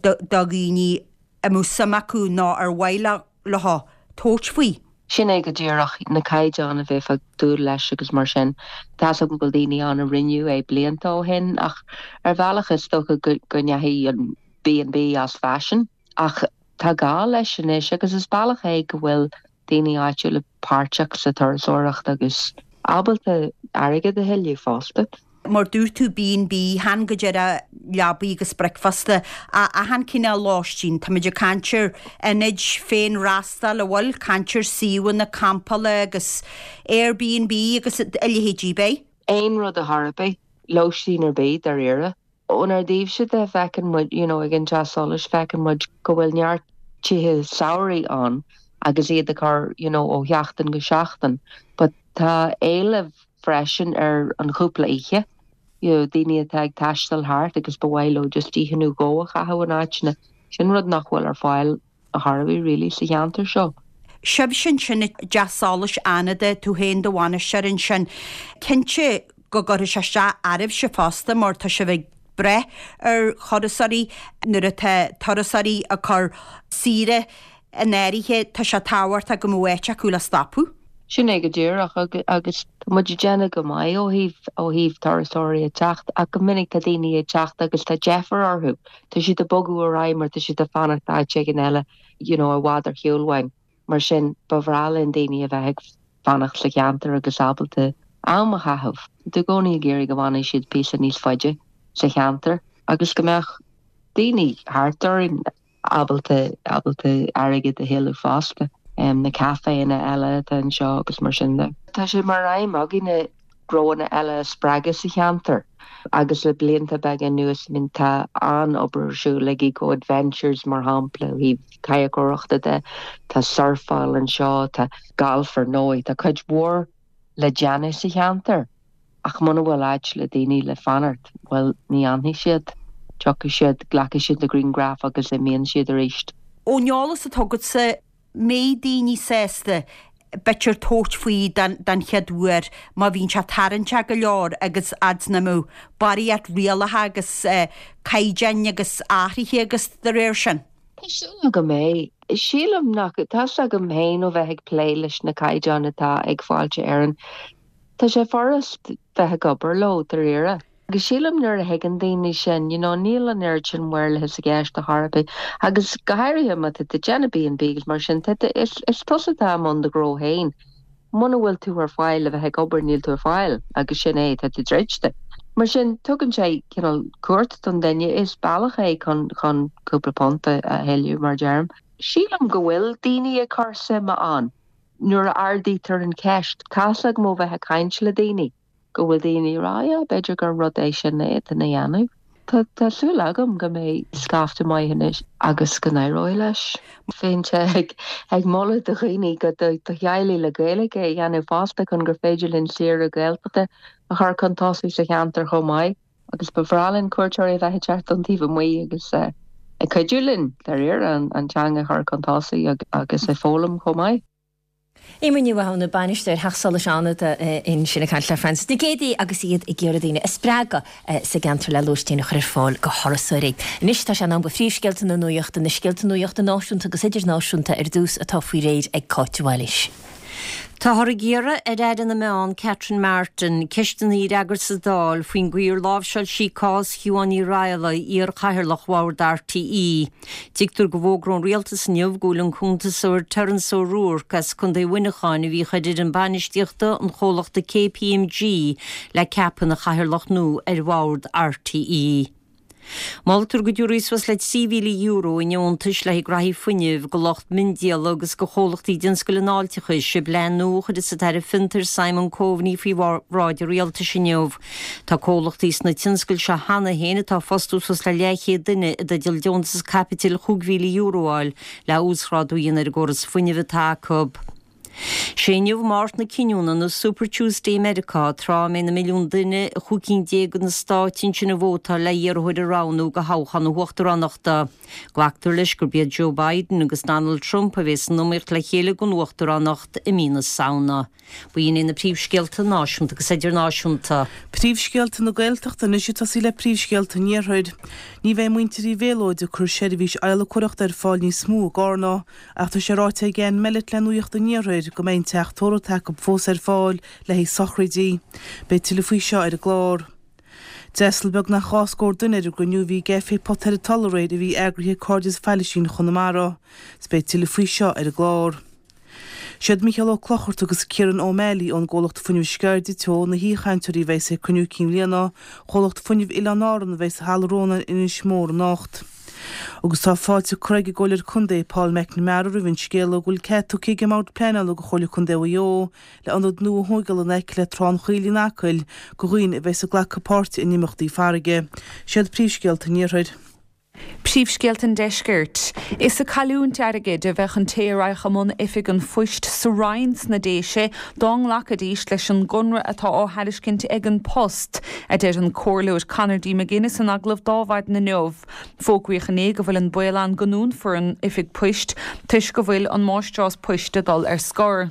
do dhaoine a mbeadh suim acu nó ar mhaith leo tabhairt faoi. Sin é go díreach, na caighdeáin a bheifeá ag dúil leis agus mar sin. Tá's agam go bhfuil daoine ann a rinneadh é blianta ó shin ach ar bhealach is dócha go ndeachaigh an B and B as faisean ach tá gá leis anois agus is bealach é go bhfuil daoine áitiúla páirteach sa turasóireacht agus ábalta airgead a thuilleamh fosta. Mar dúirt tú B and B, chan go díreach leabaí agus bricfeasta, ach achan cineál lóistín. Táimid ag caint ar ionaid féinfhreastail, an bhfuil, caint ar suíomhanna campála agus Airbnb agus a leithéidí, beidh? Aon rud ar chor ar bith, lóistín ar bith dáiríre. Ónár dtaobhse de feiceann muid, you know, ag an Teach Solais, feiceann muid go bhfuil neart tithe samhraidh ann agus iad ag cur, you know, ó sheachtain go seachtain. But tá éileamh freisin ar an chúpla oíche, you know, daoine atá ag taisteal thart agus ba mhaith leo just oíche nó dhó a chaitheamh in áiteanna. Sin rud nach bhfuil ar fáil ar chor ar bith really sa cheantar seo. Sibhse ansin i dTeach Solais Fhánada, tú féin do bhainisteoir ansin, cinnte go gcuirfidh sé isteach oraibhse fosta mar tá sibh ag brath ar thurasóirí nuair atá turasóirí ag cur saoire in áirithe, tá sé tábhachtach go mbeadh áit acu le stopadh. Sin é go díreach agus tá muid ag déanamh go maith ó thaobh ó thaobh turasóirí ag teacht ach go minic tá daoine ag teacht agus tá deifir orthu, tá siad ag bogadh ar aghaidh mar tá siad ag fanacht áit éigin eile you know i bhfad ar shiúl uainn. Mar sin ba bhreá linn daoine a bheith ag fanacht sa cheantar agus ábalta am a chaitheamh. Tá i gcónaí ag iarraidh go bhfanfaidh siad píosa níos faide sa cheantar agus go mbeadh daoine thart orainn ábalta ábalta airgead a thuilleamh fosta, na caiféanna eile atá anseo agus mar sin de. Tá sé mar aidhm againne gnóanna eile a spreagadh sa cheantar agus le blianta beaga anuas I mean tá an-obair ar siúl ag Eco Adventures mar shampla ó thaobh cadhcóireachta de, tá surfáil anseo, tá galf ar ndóigh, tá cuid mhór le déanamh sa cheantar ach muna bhfuil áit le daoine le fanacht, bhuel ní fhanfaidh siad. Tiocfaidh siad, glacfaidh siad na grianghraif agus imíonn siad arís. Ón eolas atá agatsa, mbeidh daoine sásta b'fhéidir tabhairt faoi den chéad uair má bhíonn sé tarraingteach go leor agus fhad 's nach mbeadh barraíocht rialacha agus caighdeáin agus athruithe agus de réir sin. Tá súil agam é. Sílim nach, tá's agam féin ó bheith ag plé leis na caighdeáin atá ag Fáilte Éireann, tá sé furast bheith ag obair leo, dáiríre. Agus sílim nuair a thuigeann daoine sin, you know, níl an oiread sin maorlathas i gceist ar chor ar bith. Agus go háirithe má tá tú ag déanamh B and B agus mar sin, tá tú, is, is tusa atá i mbun do ghnó féin. Muna bhfuil tú ar fáil le bheith ag obair, níl tú ar fáil agus sin é, tá tú druidte. Mar sin, tugann sé cineál cumhacht don duine, is bealach é chun, chun cúpla punt a thuilleamh, mar a deirim. Sílim go bhfuil daoine ag cur suime ann nuair a ardaítear an cheist. Tá's agam ó bheith ag caint le daoine. go bhfuil daoine ag rá, yeah, b'fhéidir gur rud é sin a fhéadfainn a dhéanamh. Tá tá súil agam go mbeidh scaifte maith anois agus go n-éireoidh leis. Bheinnse ag ag moladh do dhaoine go do do theaghlaigh le Gaeilge a dhéanamh fosta chun gur féidir linn saoire Gaeltachta a chur chun tosaigh sa cheantar chomh maith. Agus ba bhreá linn cuairteoirí a bheith ag teacht ón taobh amuigh agus ag cuidiú linn, dáiríre, an an teanga a chur chun tosaigh agus ag foghlaim chomh maith. Eimear Ní Mhathúna, Bainisteoir Theach Solais Fhánada ansin ag caint le Frances Nic Géadaigh agus iad ag iarraidh daoine a spreagadh sa gceantar le lóistín a chur ar fáil go thurasóirí. Anois tá sé in am do phríomhscéalta na nuachta, na scéalta nuachta náisiúnta agus idirnáisiúnta ar dtús atá faoi réir ag Cáit de Bhailís. Táthar ag iarraidh ar Aire na Meán Catherine Martin ceisteanna a fhreagairt sa Dáil faoin gcaoi ar láimhseáil sí cás Shiobhán Ní Raghallaigh, iar-chathaoirleach Bhord RTÉ. Tuigtear go bhfógróidh an Rialtas inniu go bhfuil an cuntasóir Terence O'Rourke as Contae Mhuineacháin a bhí ag obair i bhfoireann bainistíochta an chomhlachta KPMG le ceapadh ina chathaoirleach nua ar Bhord RTÉ. Moltar go dtabharfaí suas le trí mhíle euro i ndeontais le haghaidh graithí fuinnimh go lucht miondíola agus go chomhlachtaí i dtionscal an fháilteachais i bplean nua a chuirfeas an tAire Fiontair Simon Coveney faoi bhráid an Rialtais inniu. Tá comhlachtaí sna tionscail seo cheana féin atá ag fostú suas le leathchéad duine i dteideal deontas caipitil chúig mhíle euro a fháil le uasghrádú a dhéanamh ar an gcóras fuinnimh atá acu. Sé inniu Máirt na Cinniúna nó Super Tuesday i Meiriceá, tráth a mbeidh na milliúin duine i chúig cinn déag de na stáit ansin ag vótáil le iarrthóir a roghnú do thoghchán na huachtaránachta. Glactar leis gurb iad Joe Biden agus Donald Trump a bheas san iomaíocht le chéile don uachtaránacht i mí na Samhna. B'in iad na príomhscéalta náisiúnta agus idirnáisiúnta. Príomhscéalta na Gaeltachta anois ag tosaí le príomhscéalta an Iarthair. Ní bheidh muintir Uí Mhéalóid ag cur seirbhís adhlacóireachta ar fáil níos mó i gCarna, ach tá sé ráite ag Ann Mellett le Nuacht an Iarthair go mbeidh an teach tórraimh atá acu fós ar fáil le haghaidh sochraidí. Beidh tuilleadh faoi seo ar an gclár. D'fhreastail beagnach dhá scór duine ar an gcruinniú a bhí ag FA Potairí Tulla aréir a bhí eagraithe ag Cairdeas Failisín Chonamara. 'S beidh tuilleadh faoi seo ar an gclár. Siad Mícheál Ó Clochartaigh agus Kieran O'Malley ón gcomhlacht Fuinneamh Sceirde Teo na haoichainteoirí a bheas ag Cruinniú Cinn Bhliana Chomhlacht Fuinnimh Oileáin Árann a bheas i Halla Rónáin in Inis Mór anocht. Agus tá fáilte curtha ag an gComhairleoir Contae Paul McNamara roimh an scéala go bhfuil cead tugtha ag an mBord Pleanála do Chomhairle Contae Mhaigh Eo le ionad nua a thóigeáil in aice le Trá an Choill in Acaill do dhaoine a bheas ag glacadh páirte in imeachtaí farraige. Siad príomhscéalta an Iarthair. Príomhscéalta an Deiscirt. Is ag cailliúint airgid a bheadh an té a raghadh i mbun oifig an phoist sa Rinn sna Déise dá nglacfaidís leis an gconradh atá á thairiscint ag An Post, a deir an Comhairleoir Conor D. McGuinness in agallamh d'Adhmhaidin inniu. Fógraíodh inné go bhfuil an baol ann go ndúnfar an oifig poist toisc go bhfuil an máistreás poist ag dul ar scor.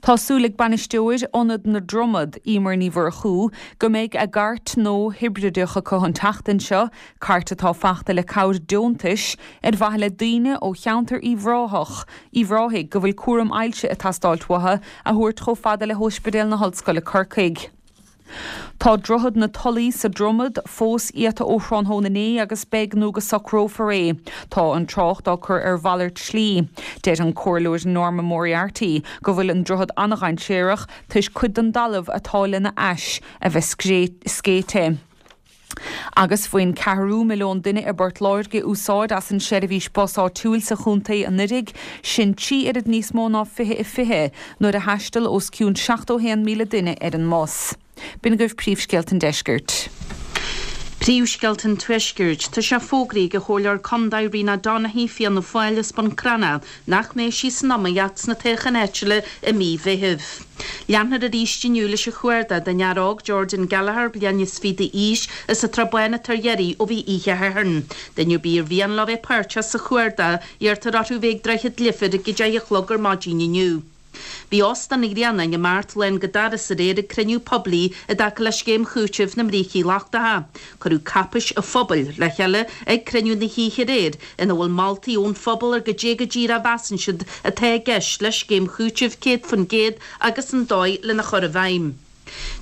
Tá súil ag bainisteoir Ionad na Dromad, Emer Ní Mhurchú, go mbeidh a gcairt nua hibrideach acu an tseachtain seo, cairt atá fachta le cabhair deontais, ar mhaithe le daoine ó cheantar Uíbh Ráthach, Uíbh Ráthaigh, go bhfuil cúram ailse ag teastáilt uathu, a thabhairt chomh fada le hOspidéal na hOllscoile Corcaigh. Tá Droichead na Tulaí sa Dromad fós iata ó thráthnóna inné agus beidh nó go socrófar é. Tá an trácht á cur ar mhalairt slí. Deir an Comhairleoir Norma Moriarty go bhfuil an droichead an-dhainséarach toisc cuid den dtalamh atá lena ais a bheith scéite. Agus bhain ceathrú milliún duine i bPort Láirge úsáid as an seirbhís bus áitiúil sa chontae anuraidh, sin trí oiread níos mó ná fiche a fiche, nuair a thaistil os cionn seachtó haon míle duine ar an mbus. B'in agaibh príomhscéalta an deiscirt. Príomhscéalta an Tuaiscirt, Tá sé fógraithe ag an Chomhairleoir Contae Rena Donaghey Fianna Fáil as Bun Cranncha nach mbeidh sí san iomaíocht sna toghcháin áitiúla i mí Mheithimh. Leanfar arís inniu leis an chuardach don fhear óg Jordan Gallagher, bliain is fiche d'aois, as an tSrath Bán atá ar iarraidh ó bhí oíche Shathairn. Duine ar bith ar mhian leo bheith páirteach sa chuardach, iarrtar orthu bheith ag Droichead Life ag a deich a chlog ar maidin inniu. Bhí Óstán an Ghrianáin i mBeart lán go doras aréir ag cruinniú poiblí i dtaca le scéim chúitimh na mbrící lochtacha. Cuireadh cáipéis an phobail le chéile ag cruinniú na hoíche aréir ina bhfuil moltaí ón phobal ar goidé go díreach a mheasann siad atá i gceist le scéim chúitimh céad faoin gcéad agus an dóigh lena chur i bhfeidhm.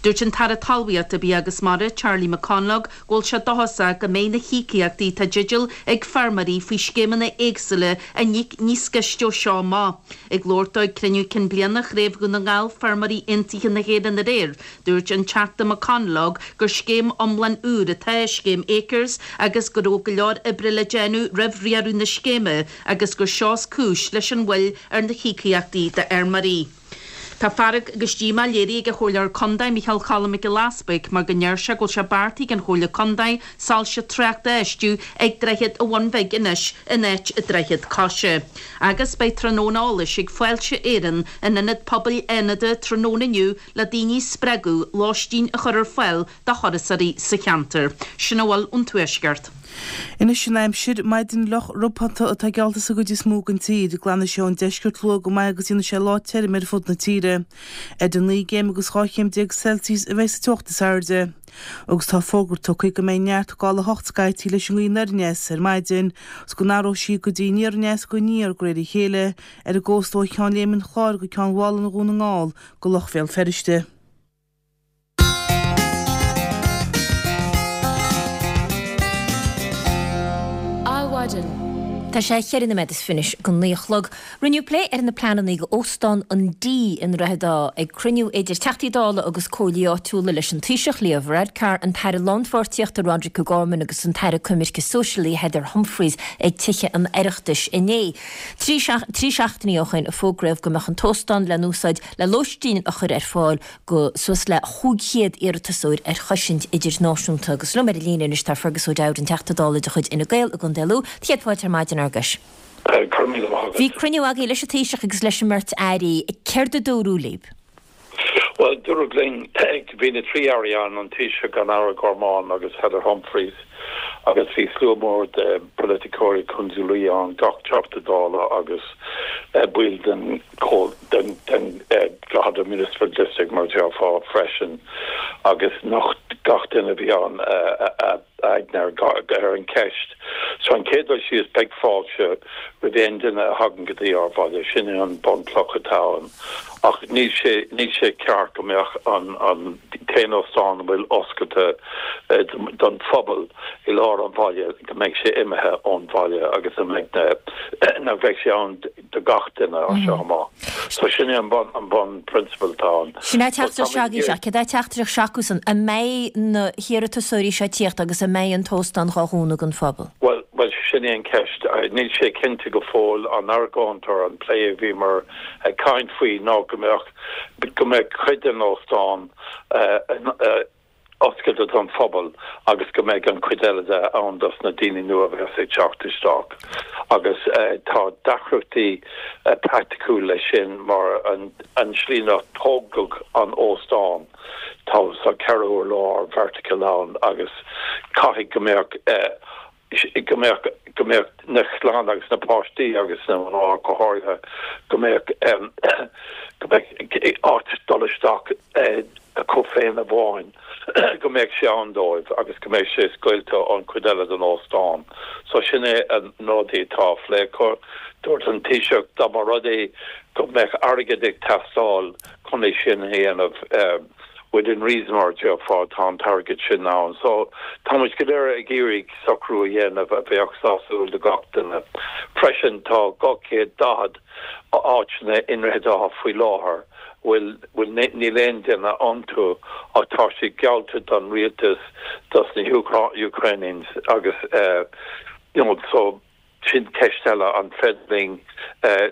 Dúirt an tAire Talmhaíochta, Bia agus Mara, Charlie McConalogue, go bhfuil sé dóchasach go mbeidh na híocaíochtaí atá i dteideal ag feirmeoirí faoi scéimeanna éagsúla á n-íoc níos gaiste ó seo amach. Ag labhairt dó ag cruinniú cinn bliana Chraobh Dhún na nGall Feirmeoirí Aontaithe na hÉireann aréir, dúirt an Teachta McConalogue gur scéim iomlán úr atá i scéim Acres agus go raibh go leor oibre le déanamh roimh riaradh na scéime agus gur seo is cúis leis an mhoill ar na híocaíochtaí d'fheirmeoirí. Tá fearg agus díomá léirithe ag an Chomhairleoir Contae Micheál Cholm Mac Giolla Easbuig mar go ndeir sé go bhfuil sé beartaithe ag an Chomhairle Contae soilse tráchta a fheistiú ag Droichead an Bhun Bhig anois in áit an Droichead Coise. Agus beidh tráthnóna eolais ag Fáilte Éireann in Ionad Pobail Fhánada tráthnóna inniu le daoine a spreagadh lóistín a chur ar fáil do thurasóirí sa cheantar. Sin a bhfuil ón Tuaisceart. Anois an aimsir, maidin fhliuch ropánta atá geallta sa gcuid is mó den tír. Glanfaidh sé ón deisceart luath go maith agus déanfaidh sé lá tirim ar fud na tíre. Idir naoi gcéim agus dhá chéim déag Celsius a bheidh sa teocht is airde. Agus tá fógra tugtha go mbeidh neart gála a hocht scaití leis an ngaoth anoir aneas ar maidin is go n-athróidh sí go dtí aniar aneas go aniar de réir a chéile ar an gcósta ó Cheann Léime an Chláir go Ceann Mhálanna Dhún na nGall go Loch Bhéal Feirste. Adhmhaidin. Tá sé cheithre nóiméad is fiche anois go naoi a chlog. Rinneadh plé ar na pleananna do Óstán an D i nDroichead Átha ag cruinniú idir Teachtaí Dála agus Comhairlí áitiúla leis an Taoiseach Leo Varadkar, an tAire Lánpháirtíochta Roderic O'Gorman agus an tAire Coimirce Sóisialaí Heather Humphreys ag Tithe an Oireachtais inné. Trí seachtainí ó shin a fógraíodh go mbeadh an t-óstán le n-úsáid le lóistín a chur ar fáil go suas le chúig chéad iarratasóir ar chosaint idirnáisiúnta. Agus liom ar an líne anois tá Fergus O'Dowd, an Teachta Dála de chuid Fhine Gael i gContae Lú. Céad fáilte ar maidin, Fherguis. Go raibh míle maith agat. Bhí cruinniú agaibh leis an Taoiseach agus leis an mbeirt Airí. Céard a dúradh libh? Bhuel, dúradh linn, bhí na trí Airí ann, an Taoiseach, an Aire Gorman agus Heather Humphreys, agus bhí slua mór de pholaiticeoirí Chontae Lú ann, gach Teachta Dála agus baill den den den Drogheda Municipal District mar a déarfá freisin, agus nocht gach duine a bhí ann a aigne ar an cheist. So an chéad dul síos, beidh fáilte roimh aon duine a thagann go dtí ár bhaile, sin é an bunchloch atá ann. Ach níl sé níl sé ceart go mbeadh an an t-aon óstán a bhfuil oscailte don phobal i lár an bhaile, go mbeidh sé imithe ón bhaile agus go mbeidh na nach bheidh sé ann do gach duine as seo amach. So sin é an bun an bun prionsabal atá ann. Sin é teachtaireacht s'agaibh sea. Céard é teachtaireacht s'acusan? An mbeidh na hiarratasóirí seo ag tíocht agus an mbeidh an t-óstán dhá dhúnadh don phobal? Bhuel, bhuel sin é an cheist. Níl sé cinnte go fóill. An argóint or an plé a bhíomar ag caint faoi ná go mbeadh go mbeadh cuid den óstán oscailte don phobal agus go mbeidh an chuid eile de ann dos na daoine nua a bheas ag teacht isteach. Agus tá deacrachtaí praiticiúil leis sin mar an an slí inar tógadh an óstán tá sa ceithre urlár vertical ann agus caithfidh go mbeadh go mbeadh go mbeadh na clann agus na páistí agus na mná go háirithe go mbeadh go mbeadh áit dul isteach acu féin amháin go mbeadh sé ann dóibh agus go mbeadh sé scoilte ón chuid eile den óstán. So sin é an rudaí atá á phlé acu. Dúirt an Taoiseach dá mba rud é go mbeadh airgead ag teastáil chun é sin a dhéanamh, within reason mar a déarfá, tá an t-airgead sin ann. So, tá muid go léir ag iarraidh socrú a dhéanamh a bheadh sásúil do gach duine. Freisin, tá dhá chéad daichead áiteanna i nDroichead Átha faoi láthair bhfuil, bhfuil, níl aon duine iontu ach tá siad geallta don rialtas dos na Ukrainians agus, you know, so, Sin ceist eile, an féidir linn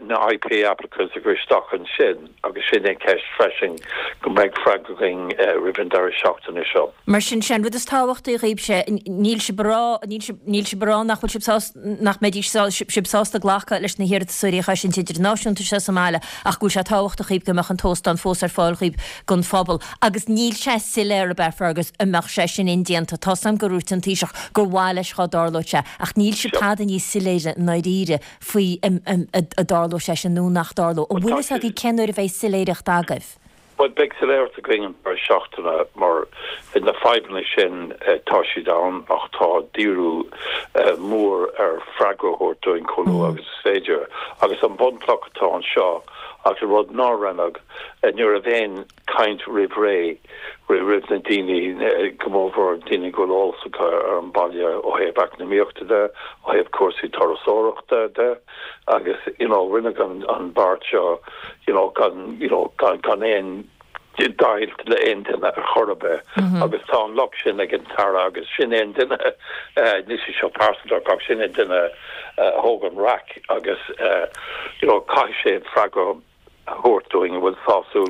na I P applicants a chur isteach ansin agus sin é ceist freisin go mbeidh freagra againn roimh an deireadh seachtaine seo. Mar sin, sé an rud is tábhachtaí dhaoibhse, níl sibh ag rá, níl sibh, níl sibh ag rá nach bhfuil sibh sásta, nach mbeidís sibh sásta glacadh leis na hiarratasóirí a choisint idirnáisiúnta seo sa mbaile ach go bhfuil sé tábhachtach dhaoibh go mbeadh an t-óstán fós ar fáil dhaoibh don phobal. Agus níl sé soiléir, ab ea, Fergus, an mbeadh sé sin indéanta. Tá's a'm gur dhúirt an Taoiseach gur mhaith leis dhá dtarlódh sé ach níl sibh tada níos soiléire i ndáiríre faoi an dtarlódh sé sin nó nach dtarlódh. An bhfuil fhios agaibh cén uair a bheidh soiléireacht agaibh? Bhuel, beidh soiléireacht againn an deireadh seachtaine mar na fadhbanna sin tá siad ann ach tá díriú mór ar freagra a thabhairt dúinn chomh luath agus is féidir. Agus an bunchloch atá anseo agus an rud nár rinneadh, ní raibh aon caint roimh ré roimh na daoine, go mórmhór daoine go bhfuil eolas acu ar an baile ó thaobh eacnamaíochta de, ó thaobh cúrsaí turasóireachta de agus you know rinneadh an an beart seo you know gan you know gan gan aon deighilt le aon duine ar chor ar bith agus tá an locht sin ag an tAire agus sin é an duine níl sé seo pearsanta ach sin é an duine a thóg an raic agus you know caithfidh sé freagra a thabhairt dúinn a bhfuil sásúil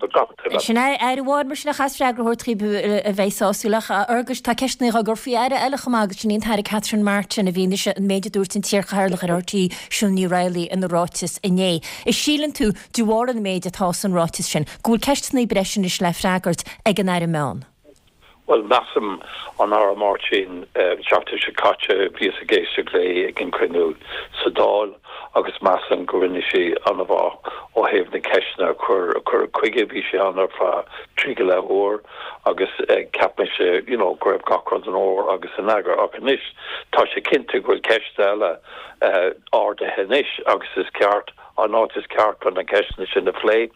do gach duine. Sin é aire amháin mar sin a chaithfeas freagra a thabhairt dhaoibh a bheidh sásúil ach a Fhearghuis tá ceisteanna á gcur faoi aire eile chomh maith agus sin í an tAire Catherine Martin i bhfianaise an méid a dúirt an t-iarchathaoirleach ar R T É Siún Ní Raghallaigh ina ráiteas inné. An síleann tú, de bharr an méid atá san ráiteas sin, go bhfuil ceisteanna breise anois le freagairt ag an Aire Meán? Bhuel, measaim an Aire Martin an tseachtain seo caite, bhíos ag éisteacht léi ag an cruinniú sa Dáil agus measaim go rinne sí an-mhaith ó thaobh na ceisteanna a chur a cuireadh chuige. Bhí sí ann ar feadh trí go leith uair agus cheap mise you know go raibh gach rud in ord agus in eagar. Ach anois tá sé cinnte go bhfuil ceist eile ardaithe anois agus is ceart an áit is ceart chun na ceisteanna sin a phlé.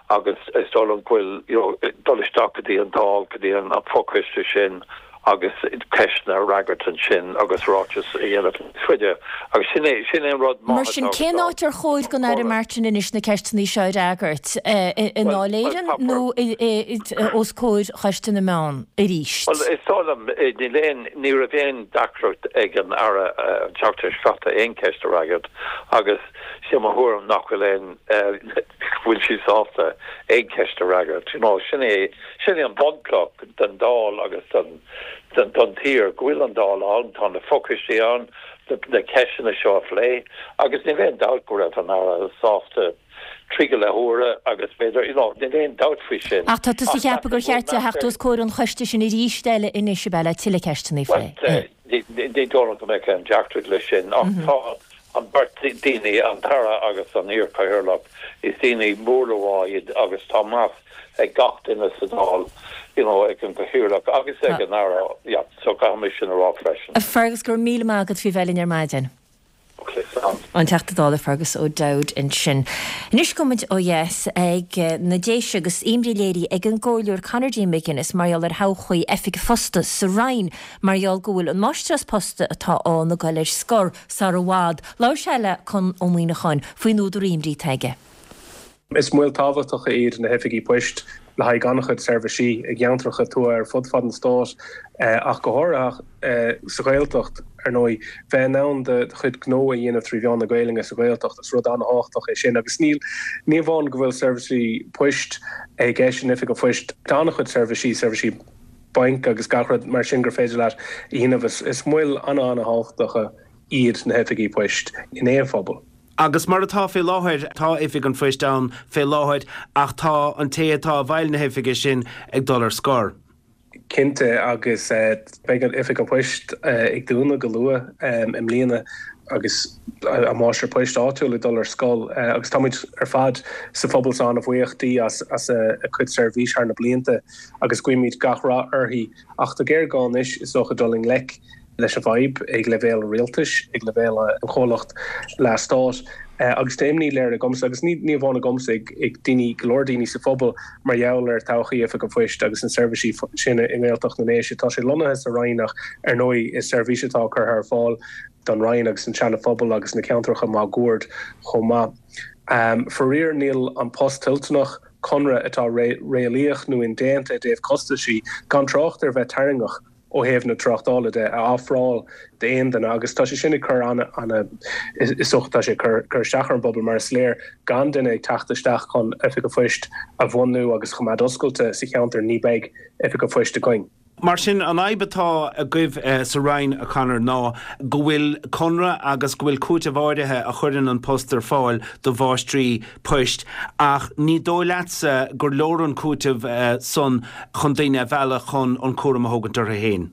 Agus is dóigh liom go bhfuil you know dul isteach go dtí an Dáil, go dtí an fochoiste sin agus ceisteanna a fhreagairt ansin agus ráiteas a dhéanamh níos faide. Agus sin é sin é an rud Mar maith sin, atá cén áit ar chóir don Aire Martin anois na ceisteanna seo a fhreagairt? I nDáil Éireann nó os comhair Choiste na Meán arís? Bhuel, is dóigh liom níl aon ní raibh aon deacracht ag an Aire an tseachtain seo caite aon cheist a fhreagairt agus sé mo thuairim nach bhfuil aon go bhfuil sí sásta aon cheist a fhreagairt. You know, sin é sin é an bunchloch den Dáil agus den den don tír go bhfuil an Dáil ann, tá na fochoistí ann na ceisteanna seo a phlé agus níl aon dabht go raibh an Aire sásta trí go leith huaire agus b'fhéidir you know, níl aon dabht faoi sin. Ach tá tusa ag ceapadh gur cheart di theacht os comhair an choiste sin arís eile anois ab ea le tuilleadh ceisteanna a phlé. Ní dóigh liom go mbeadh aon deacracht leis sin ach tá an beirt daoine an tAire agus an iarchathaoirleach is daoine mór le rá iad agus tá meas ag gach duine sa Dáil you know, ag an gcathaoirleach agus ag an Aire yeah, so caithfidh sin a rá freisin. A Fergus go raibh míle maith agat faoi bheith linn ar maidin. Okay, sound. An Teachta Dála Fergus O'Dowd ansin. Anois gabhfaidh muid ó dheas ag na Déise agus imní léirithe ag an gcomhairleoir Conor D. McGuinness mar gheall ar thodhchaí oifig phosta sa Rinn mar gheall go bhfuil an máistreás posta atá ann ag dul ar scor sar i bhfad. Labhair sé le Conn Ó Muíneacháin faoin údar imní atá aige. Is moil tábhachtacha iad na hoifigí poist le haghaidh an-chuid seirbhísí i gceantracha tuaithe ar fud fad an stáit ach go háirithe sa Ghaeltacht ar ndóigh bheith in ann do chuid gnó a dhéanamh trí mheán na Gaeilge sa Ghaeltacht is rud an-tábhachtach é sin agus níl ní amháin go bhfuil seirbhísí poist i gceist in oifig an phoist tá an-chuid seirbhísí seirbhísí bainc agus gach rud mar sin gur féidir leat a dhéanamh is is moil an-an-tábhachtacha iad na hoifigí poist in aon phobal. Agus mar atá fé láthair tá oifig an phoist ann fé láthair ach tá an té atá i bhfeighil na hoifige sin ag dul ar scor. Cinnte agus beidh an oifig an phoist ag dúnadh go luath i mbliana agus an máistir poist áitiúil ag dul ar scor agus táimid ar fad sa phobal seo an-bhuíoch di as as a cuid seirbhís thar na blianta agus guímid gach rath uirthi ach tá géarghá anois is dócha dul i ngleic leis an bhfadhb ag leibhéal rialtais ag leibhéal an chomhlacht leathstáit agus tá imní léirithe agamsa agus ní ní amháin agamsa ag ag daoine go leor daoine sa phobal mar gheall ar todhchaí oifig an phoist agus na seirbhísí sin i nGaeltacht na nDéise. Tá sé lonnaithe sa Rinn ach ar ndóigh is seirbhís atá curtha ar fáil don Rinn agus an Seana Phobal agus na ceantracha máguaird chomh maith. Um, Faraor níl an post toilteanach conradh atá réalaíoch nó indéanta i dtaobh costaisí gan trácht ar bheith tarraingteach ó ó thaobh na tráchtála de a ofráil d'aon duine agus tá sé sin ag cur ana ana is dócha tá sé ag cur cur isteach ar an bpobal mar is léir gan duine ag teacht isteach chun oifig an phoist a bhunú agus choimeád oscailte sa cheantar ní bheidh oifig an phoist againn. Mar sin, an fhadhb atá agaibh sa Roinn, a Conor, ná go bhfuil conradh agus go bhfuil cúiteamh áirithe a chuireann An Post ar fáil do mháistrí poist ach ní dóigh leatsa gur leor an cúiteamh san chun daoine a mhealladh chun an cúram a thógaint orthu féin.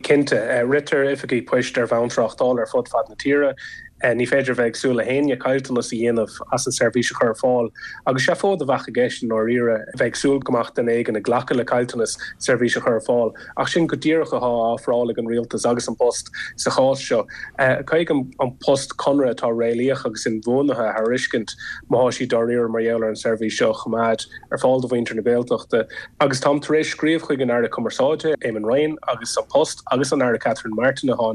Cinnte. Ritear oifigí poist ar bhonn tráchtála ar fud fad na tíre. Ní féidir a bheith ag súil le héinne caillteanas a dhéanamh as an seirbhís a chur ar fáil agus seafóid a bheadh i gceist i ndáiríre a bheith ag súil go mbeadh duine éigin ag glacadh le caillteanas seirbhís a chur ar fáil. Ach sin go díreach atá á ofráil ag an rialtas agus An Post sa chás seo. Caithfidh An Post conradh atá réalaíoch agus inbhuanaithe a thairiscint má tá siad dáiríre mar gheall ar an seirbhís seo a choimeád ar fáil do mhuintir na Gaeltachta. Agus táim tar éis scríobh chuig an Aire Cumarsáide, Eamon Ryan, agus An Post agus an Aire Catherine Martin atá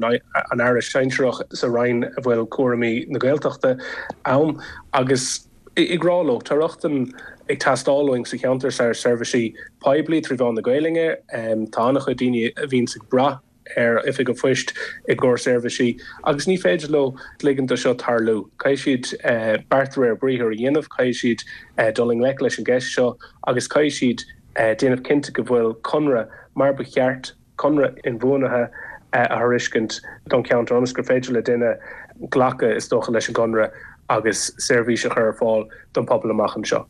an Aire sinsearach sa Roinn a bhfuil cúraimí na Gaeltachta ann agus ag rá leo, tá rochtain ag teastáil uainn sa cheantar seo ar seirbhísí poiblí trí mheán na Gaelainne. Tá an-chuid daoine a bhíonns ag brath ar Oifig an Phoist i gcomhair seirbhísí agus ní féidir leo ligint do seo tarlú. Caithfidh siad beart de réir briathair a dhéanamh, caithfidh siad dul i ngleic leis an gceist seo agus caithfidh siad déanamh cinnte go bhfuil conradh mar ba cheart, conradh inbhuanaithe a thairiscint don cheantar ionas gur féidir le duine glacadh, is dócha, leis an gconradh agus seirbhís a chur ar fáil don phobal amach anseo.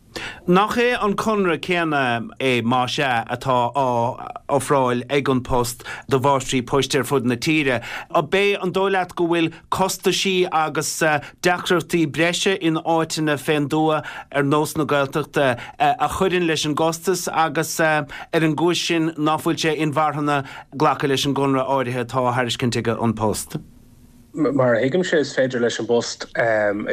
Nach é an conradh céanna é, más ea, atá á ofráil ag An Post do mháistrí poist ar fud na tíre? Ab é an dóigh leat go bhfuil costaisí agus deacrachtaí breise in áiteanna fén dtuath ar nós na Gaeltachta a chuireann leis an gcostas agus ar an gcúis sin ná fuil sé inmharthana glacadh leis an gconradh áirithe atá á thairiscint ag An Post? Mar a thuigimse, is féidir leis an bPost,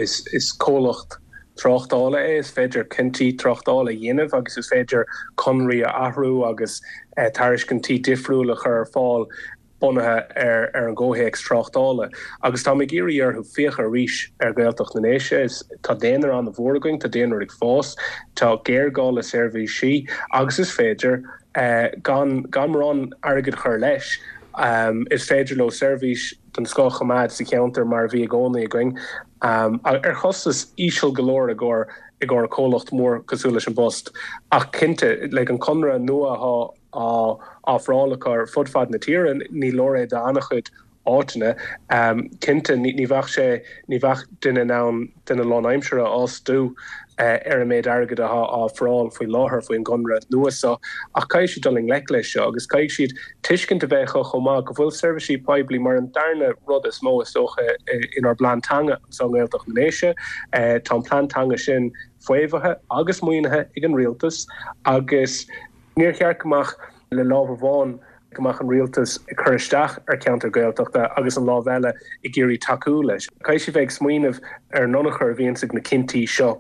is comhlacht tráchtála é, is féidir cinntí tráchtála a dhéanamh agus is féidir conraí a athrú agus tairiscintí difriúla a chur ar fáil bunaithe ar ar an gcomhthéacs tráchtála. Agus táim ag iarraidh orthu féachadh arís ar Ghaeltacht na nDéise. Tá daonra an-mhór againn, tá daonra ag fás, tá géarghá le seirbhísí agus is féidir, gan gan mórán airgid a chur leis, Is féidir leo seirbhís den scoth a choimeád sa cheantar mar a bhí i gcónaí againn, ar chostas íseal go leor i gcomhair i gcomhair comhlacht mór cosúil leis an bPost. Ach cinnte, like an conradh nua atá á ofráil acu ar fud fad na tíre, ní leor é d'an-chuid áiteanna. Cinnte, ní bheadh sé, ní bheadh duine in ann duine lánaimseartha a fhostú ar an méid airgid atá á ofráil faoi láthair faoin gconradh nua seo ach caithfidh siad dul i ngleic leis seo agus caithfidh siad tuiscint a bheith acu chomh maith go bhfuil seirbhísí poiblí mar an darna rud is mó is dócha inár bplean teanga anseo i nGaeltacht na nDéise. Tá an plean teanga sin faomhaithe agus maoinithe ag an rialtas agus níor cheart go mbeadh le lámh amháin go mbeadh an rialtas ag cur isteach ar cheantar Gaeltachta agus an lámh eile ag iarraidh tacú leis. Caithfidh siad bheith ag smaoineamh ar an tionchar a bhíonns ag na cinntí seo.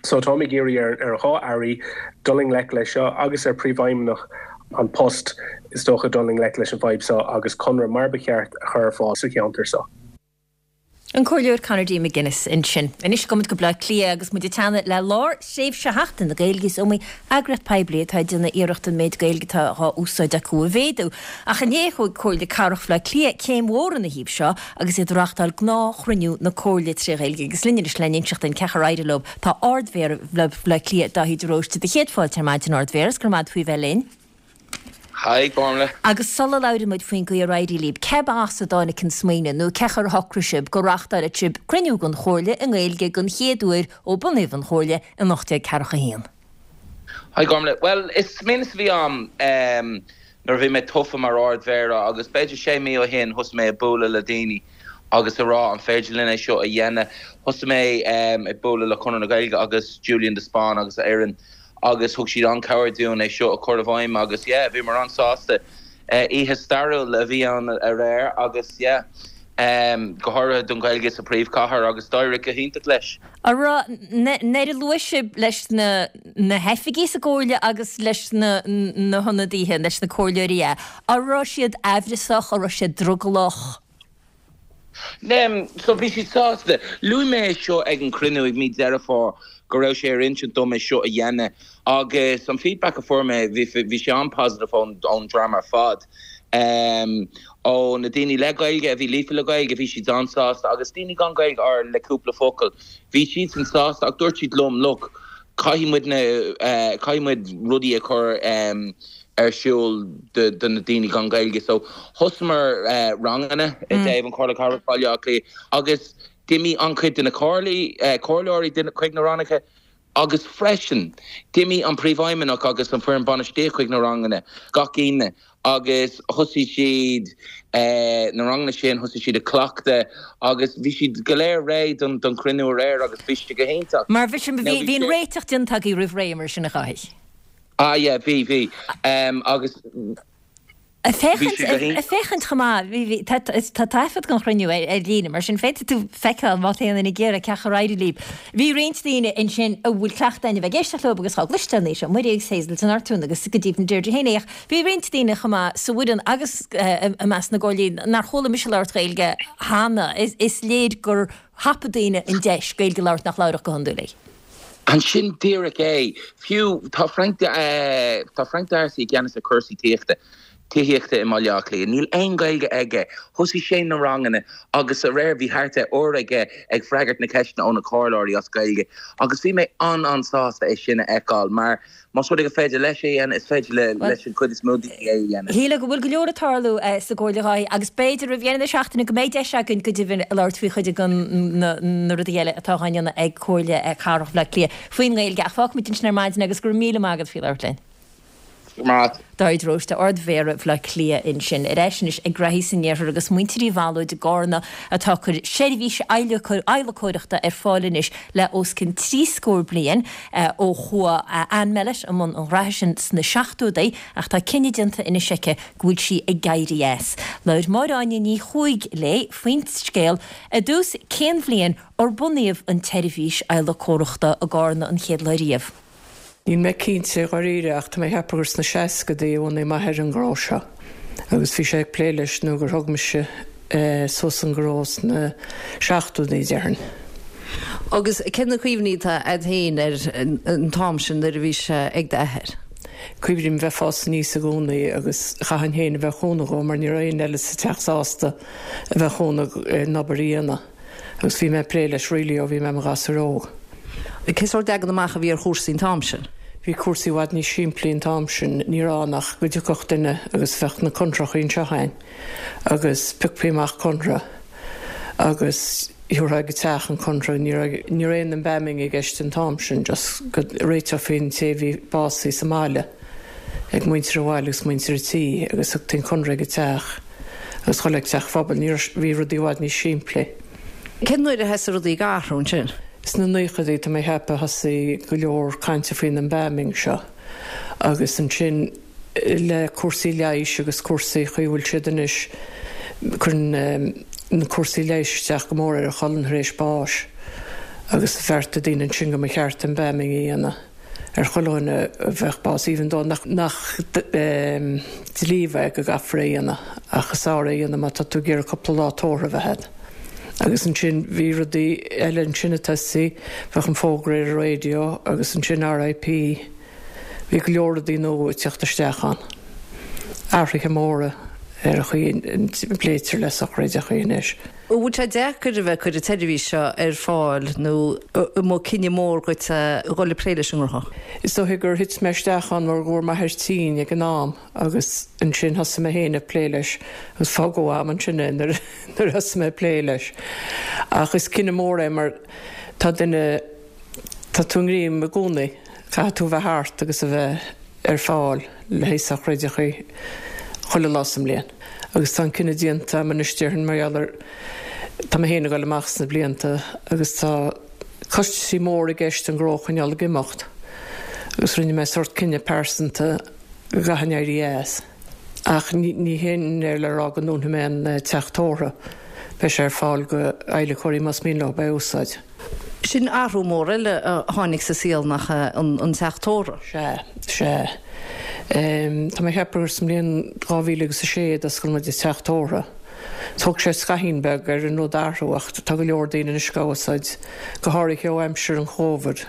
So táim ag iarraidh ar ar dhá airí dul i ngleic leis seo agus ar Príomhfheidhmeannach An Post is dócha dul i ngleic leis an bhfadhb seo agus conradh mar ba cheart a chur ar fáil sa cheantar seo. An Comhairleoir Conor D. McGuinness ansin. Anois gabhfaidh muid go Baile Átha Cliath agus muid ag teannadh le lár thréimhse Sheachtain na Gaeilge. Is iomaí eagraíocht poiblí atá ag déanamh iarracht an méid Gaeilge atá dhá úsáid acu a mhéadú. Ach inné thóg Comhairle Cathrach Bhaile Átha Cliath céim mhór ina thaobh seo agus iad ag reáchtáil gnáthchruinniú na Comhairle tré Ghaeilge. Agus linn anois le n-inseacht dúinn cén chaoi ar éirigh leo tá Ard-Mhéara Bhaile Átha Cliath Dáithí de Róiste. Do chéad fáilte ar maidin Ard-Mhéara is go raibh maith agat faoi bheith linn. Hi, Gormlaith. Agus sula labhraíonn muid faoin gcaoi ar éirigh libh, céb as a dtáinig an smaoineamh nó cén chaoi ar shocraigh sibh go reáchtálfadh sibh cruinniú den Chomhairle i nGaeilge den chéad uair ó bunaíodh an Chomhairle in ocht déag ceathracha a haon? Hi, Gormlaith. Bhuel, is smaoineamh a bhí ann nuair a bhí mé tofa mar Ard-Mhéara agus b'fhéidir sé mí ó shin thosaigh mé ag bualadh le daoine agus ag rá an féidir linn é seo a dhéanamh. Thosaigh mé ag bualadh le Conradh na Gaeilge agus Julian de Spáinn agus a fhoireann agus thug siad an-cabhair dúinn é seo a chur i bhfeidhm agus yeah bhíomar an-sásta. Oíche stairiúil a bhí ann aréir agus yeah go háirithe don Ghaeilge sa phríomhchathair agus d'éirigh go hiontach leis. An raibh, nuair a luaigh sibh leis na na hoifigigh sa gComhairle agus leis na na hionadaithe, leis na comhairleoirí é, an raibh siad aimhreasach, an raibh siad drogallach? So bhí siad sásta. Luaigh mé é seo ag an cruinniú ag mí Deireadh Fómhair go raibh sé ar intinn dom é seo a dhéanamh agus an feedback a fuair mé bhí bhí sé an-positive ón ón dream ar fad. Ó na daoine le Gaeilge a bhí líofa le Gaeilge, bhí siad an-sásta agus daoine gan Gaeilge or le cúpla focal, bhí siadsan sásta ach dúirt siad liom, look, caithfidh muid na, caithfidh muid rudaí a chur ar siúl do do na daoine gan Gaeilge. So thosaíomar ranganna i dtaobh an Chomhairle Cathrach Bhaile Átha Cliath agus d'imigh an-chuid de na comhairlí, comhairleoirí chuig na ranganna agus freisin d'imigh an Príomhfheidhmeannach agus an foireann bainistíochta chuig na ranganna gach Aoine agus thosaigh siad na ranganna sin, thosaigh siad ag cleachtadh agus bhí siad go léir réidh don don chruinniú aréir agus bhí sé go hiontach. Mar bhí sin, bhí an réiteach déanta agaibh roimh ré mar sin a Dháithí? Ah yeah, bhí, bhí. Agus. Ag féachaint, ag féachaint chomh maith, bhí, bhí, tá, tá taifead den chruinniú ar, ar líne, mar sin féadfaidh tú feiceáil má tá aon duine ag iarraidh cén chaoi ar éirigh libh. Bhí roinnt daoine ansin a bhfuil cleachtadh againn a bheith ag éisteacht leo agus dhá gcloisteáil Naoise Ó Muirí agus Hazel de Nortúin agus go deimhin Deirdre Heaney ach bhí roinnt daoine chomh maith sa bhfoireann agus i measc na gcomhairleoirí nár chuala mise labhairt Gaeilge cheana. Is, is léir gur thapaigh daoine an deis Gaeilge a labhairt nach labhródh go hiondúil í. Ansin díreach é. Fiú tá Frank tá Frank D'Arcy i gceannas ar cúrsaí tithíochta tithíochta i mBaile Átha Cliath. Níl aon Ghaeilge aige. Thosaigh sé na ranganna agus aréir bhí thart ar uair aige ag freagairt na ceisteanna ó na comhairleoirí as Gaeilge agus bhí mé an-an-sásta é sin a fheiceáil mar Más rud é gur féidir leis é a dhéanamh, is féidir leis an chuid is mó daoine é a dhéanamh. Shílfeá go bhfuil go leor ag tarlú sa gComhairle Dháithí agus b'fhéidir roimh dheireadh na seachtaine go mbeidh deis againn go deimhin labhairt faoi chuid de na rudaí eile atá á ndéanamh ag Comhairle Cathrach Bhaile Átha Cliath faoin nGaeilge ach fágfaimid ansin ar maidin agus go raibh míle maith agat faoi labhairt linn. Maith. Dáithí de Róiste, Ard-Mhéara Bhaile Átha Cliath ansin. Ar ais anois ag graithí san iarthar agus muintir Uí Bhalóid i gCarna atá ag cur seirbhís adhlacóireachta ar fáil anois le os cionn trí scór bliain ó chuaigh Ann Mellett i mbun an ghraithe sin sna seachtóidí ach tá cinneadh déanta anois aici go bhfuil sí ag éirí as. Labhair Máire Áine Ní Chuaig léi faoin scéal i dtús cén bhliain ar bunaíodh an tseirbhís adhlacóireachta i gCarna an chéad lá riamh. Níl mé cinnte dháiríre ach tá mé ag ceapadh gur sna seascadaí a bhunaigh m'athair an gnó seo agus bhí sé ag plé leis nó gur thóg mise suas an gnó sna seachtóidí déarfainn. Agus cé na cuimhní atá a'd féin ar an t-am sin nuair a bhí sé ag d'athair? Cuimhním bheith fás aníos i gcónaí agus chaithfinn féin a bheith chúnamh dhó mar ní raibh éinne eile sa teach sásta a bheith chúnamh an obair a dhéanamh agus bhí mé ag plé leis really ó bhí mé i mo ghasúr óg. Cé sórt leagan amach a bhí ar chúrsaí an t-am sin? Bhí cúrsaí i bhfad níos simplí an t-am sin, ní raibh ann ach go dtiocfadh duine agus bheadh na contrachaí anseo againn agus phiocfaí amach contra agus thabharfá ag an teach an contra, ní raibh ní raibh aon embalming i gceist an t-am sin, just go réiteofaí an té a bhí básaithe sa mbaile ag muintir an bhaile agus muintir an tí agus thugtaí an contra ag an teach agus chuile ag teach phobail, ní raibh, bhí rudaí i bhfad níos simplí. Cén uair a thosaigh rudaí ag athrú ansin? Sna naochadaí, tá mé ag ceapadh, thosaigh go leor cainte faoin embalming seo agus ansin le cúrsaí leighis agus cúrsaí chaoi a bhfuil siad anois, cuireann na cúrsaí leighis isteach go mór ar an cholainn tar éis báis agus bheartaigh daoine ansin go mba cheart embalming a dhéanamh. ar chuile dhuine a bheadh bás, even though nach dlí é go gcaithfear é a dhéanamh, ach is fearr é a dhéanamh má tá tú ag iarraidh cúpla lá tórraimh a bheith agat. Agus ansin bhí rudaí eile ansin ag tosaí, bheadh an fógra ar an raidió agus ansin RIP, bhí go leor rudaí nua ag teacht isteach ann. Athruithe móra ar an chaoi a bpléitear le sochraideacha anois. An bhfuil sé deacair a bheith ag cur an tseirbhís seo ar fáil nó an mba cinneadh mór dhuit a dhul ag plé leis an ngnó? Is dóiche gur thit mé isteach ann mar go bhfuair m'athair tinn ag an am agus ansin thosaigh mé féin ag plé leis agus fágadh agam ansin é nuair a thosaigh mé ag plé leis. Ach is cinneadh mór é mar tá duine, tá tú i ngreim i gcónaí, caithfidh tú a bheith thart agus a bheith ar fáil le haghaidh sochraideacha chuile lá sa mbliain. Agus tá an cinneadh déanta agam anois déarfainn mar gheall ar, tá mé féin ag dul amach sna blianta agus tá costaisí móra i gceist an gnó a choinneáil ag imeacht agus rinne mé sórt cinneadh pearsanta go gcaithfinn éirí as. Ach ní hin é le rá go ndúnfaidh mé an teach tórraimh, beidh sé ar fáil go adhlacóirí más mian leo é a úsáid. Sin athrú mór eile a tháinig sa saol nach ea, an teach tórraimh? Sea, sea. Tá mé ag ceapadh gur sa mbliain dhá mhíle agus a sé a d'oscail muid an teach tórraimh. Thóg sé scaithín beag ar an rud athrú ach tá go leor daoine anois á úsáid, go háirithe ó aimsir an Chóvid.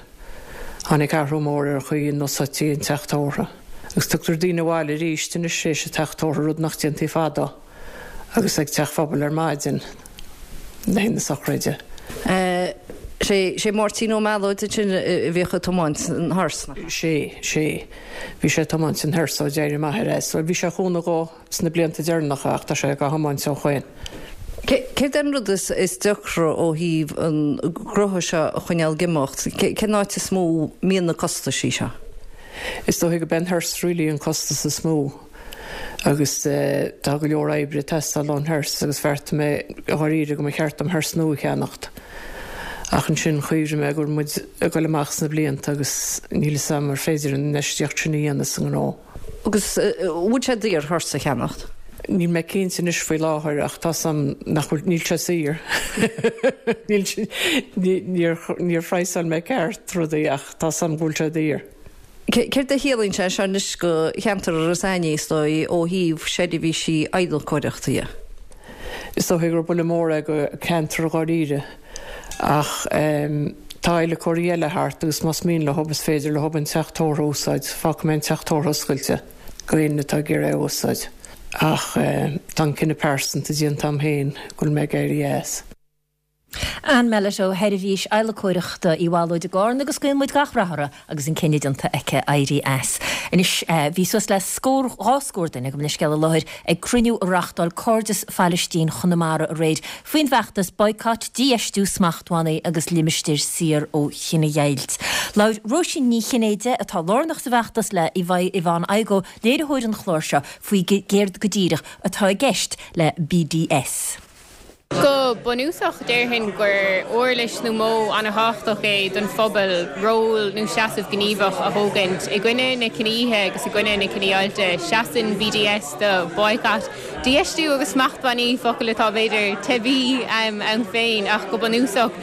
Tháinig athrú mór ar an chaoi a n-úsáidtí an teach tórraimh. Agus tugtar daoine abhaile arís anois théis an teach tórraimh, rud nach ndéantaí fadó, agus ag teach phobail ar maidin le haghaidh na sochraide. Sé sé Máirtín Ó Mealóid ansin a bhíodh ag tiomáint an hearse, nach ea? Sé, sé. Bhí sé ag tiomáint an hearse ó d'éirigh m'athair as. Bhuel, bhí sé ag cúnamh dhó sna blianta deireanacha ach tá sé dhá thiomáint ó shoin. Céard é an rud is deacra ó thaobh an gnótha seo a choinneáil ag imeacht? Cén áit is mó a mbíonn na costaisí seo? Is dóigh gurb é an hearse really an costas is mó agus tá go leor oibre ag teastáil ón hearse agus bheartaigh mé dháiríre go mba cheart dom hearse nua a cheannacht ach ansin chuimhnigh mé go bhfuil muid ag dul amach sna blianta agus níl fhios a'm ar féidir an infheistíocht sin a dhéanamh sa ngnó. Agus bhfuil sé daor hearse a cheannacht? Níl mé cinnte anois faoi láthair ach tá 's a'm nach bhfuil, níl sé saor. Níl sé, níor, níor phraghsáil mé ceart rudaí ach tá 's a'm go bhfuil sé daor. Céard a chiallaíonn sé seo anois do cheantar Iorras Aithnigh, is dóigh, ó thaobh seirbhísí adhlacóireachta dhe? Is dóigh gur buille mór é do cheantar dháiríre ach tá adhlacóirí eile thart agus más mian leo is féidir leo an teach tórraimh a úsáid. Fágfaidh mé an teach tórraimh oscailte do éinne atá ag iarraidh é a úsáid ach tá an cinneadh pearsanta déanta a'm féin go bhfuil mé ag éirí as. Ann Mellett ó Sheirbhís Adhlacóireachta Uí Mhealóid i gCarna agus guíonn muid gach rath uirthi agus an cinneadh déanta aici éirí as. Anois, bhí suas le scór, dhá scór duine, gabh mo leithscéal, i láthair ag cruinniú a reáchtáil Cairdeas Phailistín Chonamara aréir faoin bhfeachtas Boycott, Dífheistiú, Smachtbhannaí agus Limistéir Saor ó Chinedheighilt. Labhair Róisín Ní Chinnéide, atá lárnach sa bhfeachtas, le Yvonne Igoe, léiritheoir an chláir seo, faoi céard go díreach atá i gceist le BDS. Go bunúsach, déarfainn gur uirlis nó modh an-thábhachtach é don phobal ról nó seasamh gníomhach a thógaint i gcoinne na cinedhíotha agus i gcoinne na cinedheighilte. Seasann BDS do Boycott, Dífheistiú agus Smachtbhannaí, focail atá b'fhéidir teibí ann féin ach go bunúsach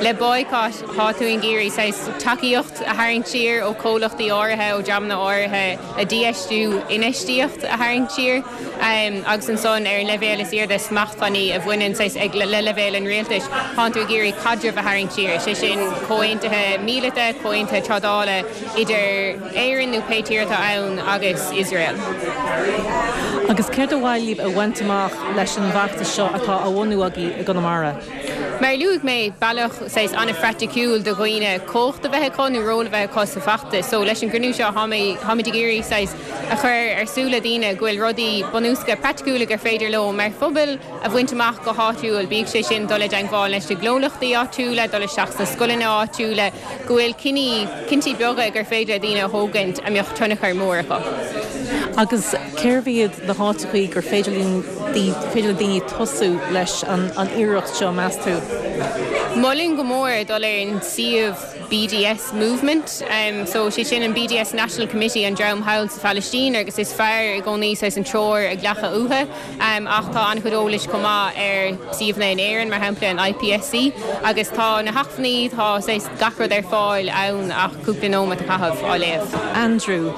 le boycott tá tú ag iarraidh saghas tacaíocht a tharraingt siar ó chomhlachtaí áirithe, ó dreamanna áirithe, le dífheistiú infheistíocht a tharraingt siar agus ansan ar an leibhéal is airde smachtbhannaí a bhaineann saghas ag le leibhéal an rialtais, tánn tú ag iarraidh caidreamh a tharraingt siar, sé sin comhaontuithe míleata, comhaontuithe trádála idir Éirinn nó pé tír atá ann agus Iosrael. Agus céard ar mhaith libh a bhaint amach leis an bhfeachtas seo atá á bhunú agaibh i gConamara? Mar a luaigh mé, bealach saghas an-phraiticiúil do dhaoine cumhacht a bheith acu nó ról a bheith acu sa bhfeachtas. So leis an gcruinniú seo táimid ag iarraidh saghas a chur ar súile daoine go bhfuil rudaí bunúsacha praiticiúla gur féidir leo mar phobal a bhaint amach go háitiúil, bíodh sé sin dul i dteangmháil leis na gnólachtaí áitiúla, dul isteach sna scoileanna áitiúla, go bhfuil cinní, cinntí beaga gur féidir le daoine a thógaint a mbeadh tionchar mór acu. Agus cérbh iad na háiteachaí gur féidir linn, féidir le daoine tosú leis an iarracht seo, meas tú? Molaim go mór dul ar an suíomh BDS Movement. So sé sin an BDS National Committee, an dream thall sa Phalaistín agus is fearr i gcónaí saghas an treoir a ghlacadh uathu. Ach tá an-chuid eolais chomh maith ar suíomhanna in Éirinn, mar shampla an IPSC. Agus tá na hacmhainní, tá saghas gach rud ar fáil ann ach cúpla nóiméad a chaitheamh á léamh. Andrew,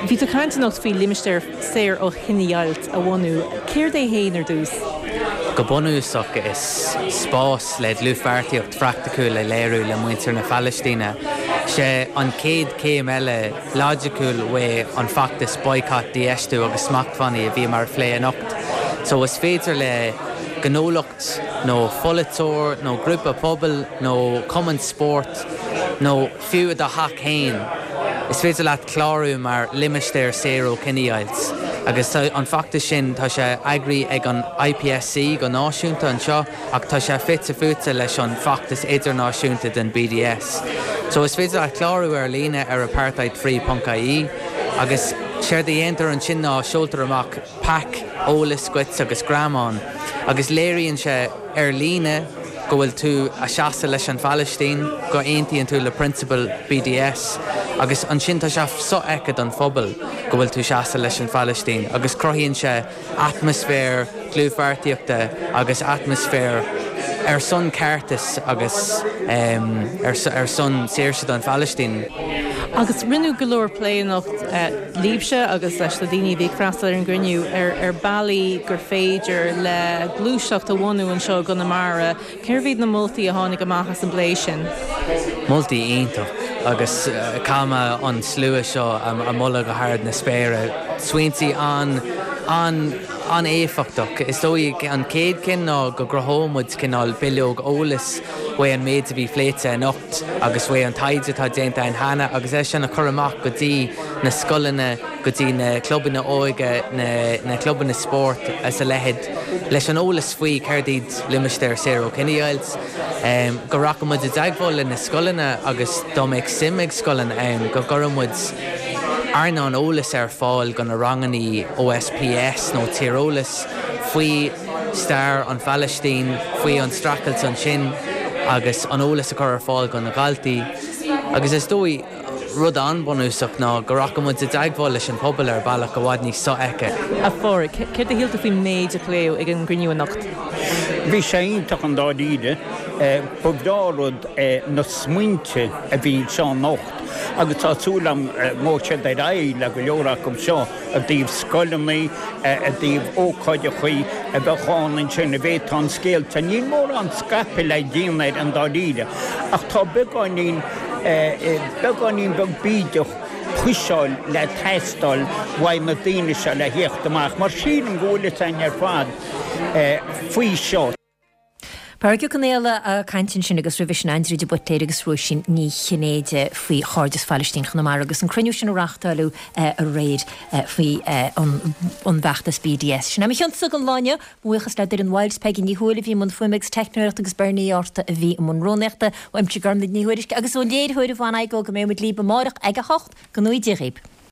Bhí tú ag caint anocht faoi limistéar saor ó chinedheighilt a bhunú. Céard é féin ar dtús? Go bunúsach is spás le dlúthpháirtíocht phraiticiúil a léiriú le muintir na Palaistíne. Sé an chéad chéim eile loighiciúil uaidh an feachtas Boycott, Dífheistiú agus Smachtbhannaí a bhíomar a phlé anocht. So is féidir le gnólacht nó pholaiteoir nó grúpa pobail nó cumann spóirt nó fiú i do theach féin, is féidir leat clárú mar limistéar saor ó chinedheighilt. Agus tá an feachtas sin, tá sé eagraithe ag an IPSC go náisiúnta anseo ach tá sé fite fuaite leis an bhfeachtas idirnáisiúnta den BDS. So is féidir leat clárú ar líne ar apartheidfree ponc ie agus séard a dhéantar ansin ná seoltar amach pack eolais dhuit agus greamán agus léiríonn sé ar líne go bhfuil tú a seasamh leis an Phalaistín, go aontaíonn tú le prionsabail BDS agus ansin tá sé sofheicthe don phobal go bhfuil tú seasamh leis an Phalaistín agus cruthaíonn sé atmaisféar dlúthpháirtíochta agus atmaisféar ar son ceartais agus ar son saoirse don Phalaistín. Agus rinneadh go leor plé anocht libhse agus leis na daoine a bhí ag freastal ar an gcruinniú ar ar bealaí gur féidir le gluaiseacht a bhunú anseo i gConamara. Cérbh iad na moltaí a tháinig amach as an bplé sin? Moltaí iontach. agus caithfidh mé an slua seo a mholadh go hard na spéire. Smaointe an an an-éifeachtach. Is dóigh an chéad cinn ná go gcruthódh muid cineál bileog eolais faoi an méid a bhí pléite anocht agus faoi an taighde atá déanta ann cheana agus é sin a chur amach go dtí na scoileanna, go dtí na clubanna óige, na na clubanna spóirt is a leithéid leis an eolas faoi céard iad limistéir saor ó chinedheighilt, go rachadh muid i dteagmháil le na scoileanna agus dá mbeadh suim ag scoileanna ann go gcuirfeadh muid airneán eolais ar fáil go na ranganna O S P S nó tíreolas faoi stair an Phalaistín, faoi an streachailt ansin agus an eolas a chur ar fáil go na daltaí. Agus is dóigh rud an-bhunúsach ná go rachadh muid i dteagmháil leis an pobal ar bealach i bhfad níos sofheicthe. A Phádraig, céard a shíl tú faoin méid a pléadh ag an gcruinniú anocht? Bhí sé iontach i ndáiríre. Ba bhreá rud na smaointe a bhí anseo anocht agus tá súil agam go mbeidh siad ar aghaidh le go leor acu seo i dtaobh scoileanna, i dtaobh ócáideacha a bheadh ann ansin a bhféadfá an scéal seo. Níl mórán scaipthe le déanamh air i ndáiríre ach tá beagáinín, beagáinín beag bídeach puiseáil le teastáil uaidh na daoine seo le theacht amach mar sílim go bhfuil fhios againn ar fad faoi seo. Pádraig Ó Conaola ag caint ansin agus roimhe sin Aindriú de Buitléir agus Róisín Ní Chinnéide faoi Chairdeas Phalaistín Chonamara agus an cruinniú sin a reáchtáladh aréir faoi an bhfeachtas B D S. Sin é mo chionsa don lá inniu, buíochas le Doireann Wiles, Peigí Ní Thuathail a bhí i mbun fuaime agus teicneoireachta agus Bernie Orta a bhí i mbun rúnaíochta, uaimse Gormlaith Ní Thuairisg agus ón léiritheoir Yvonne Igoe go mbeidh muid libh amárach ag a hocht go ngnóthaí Dia dhaoibh.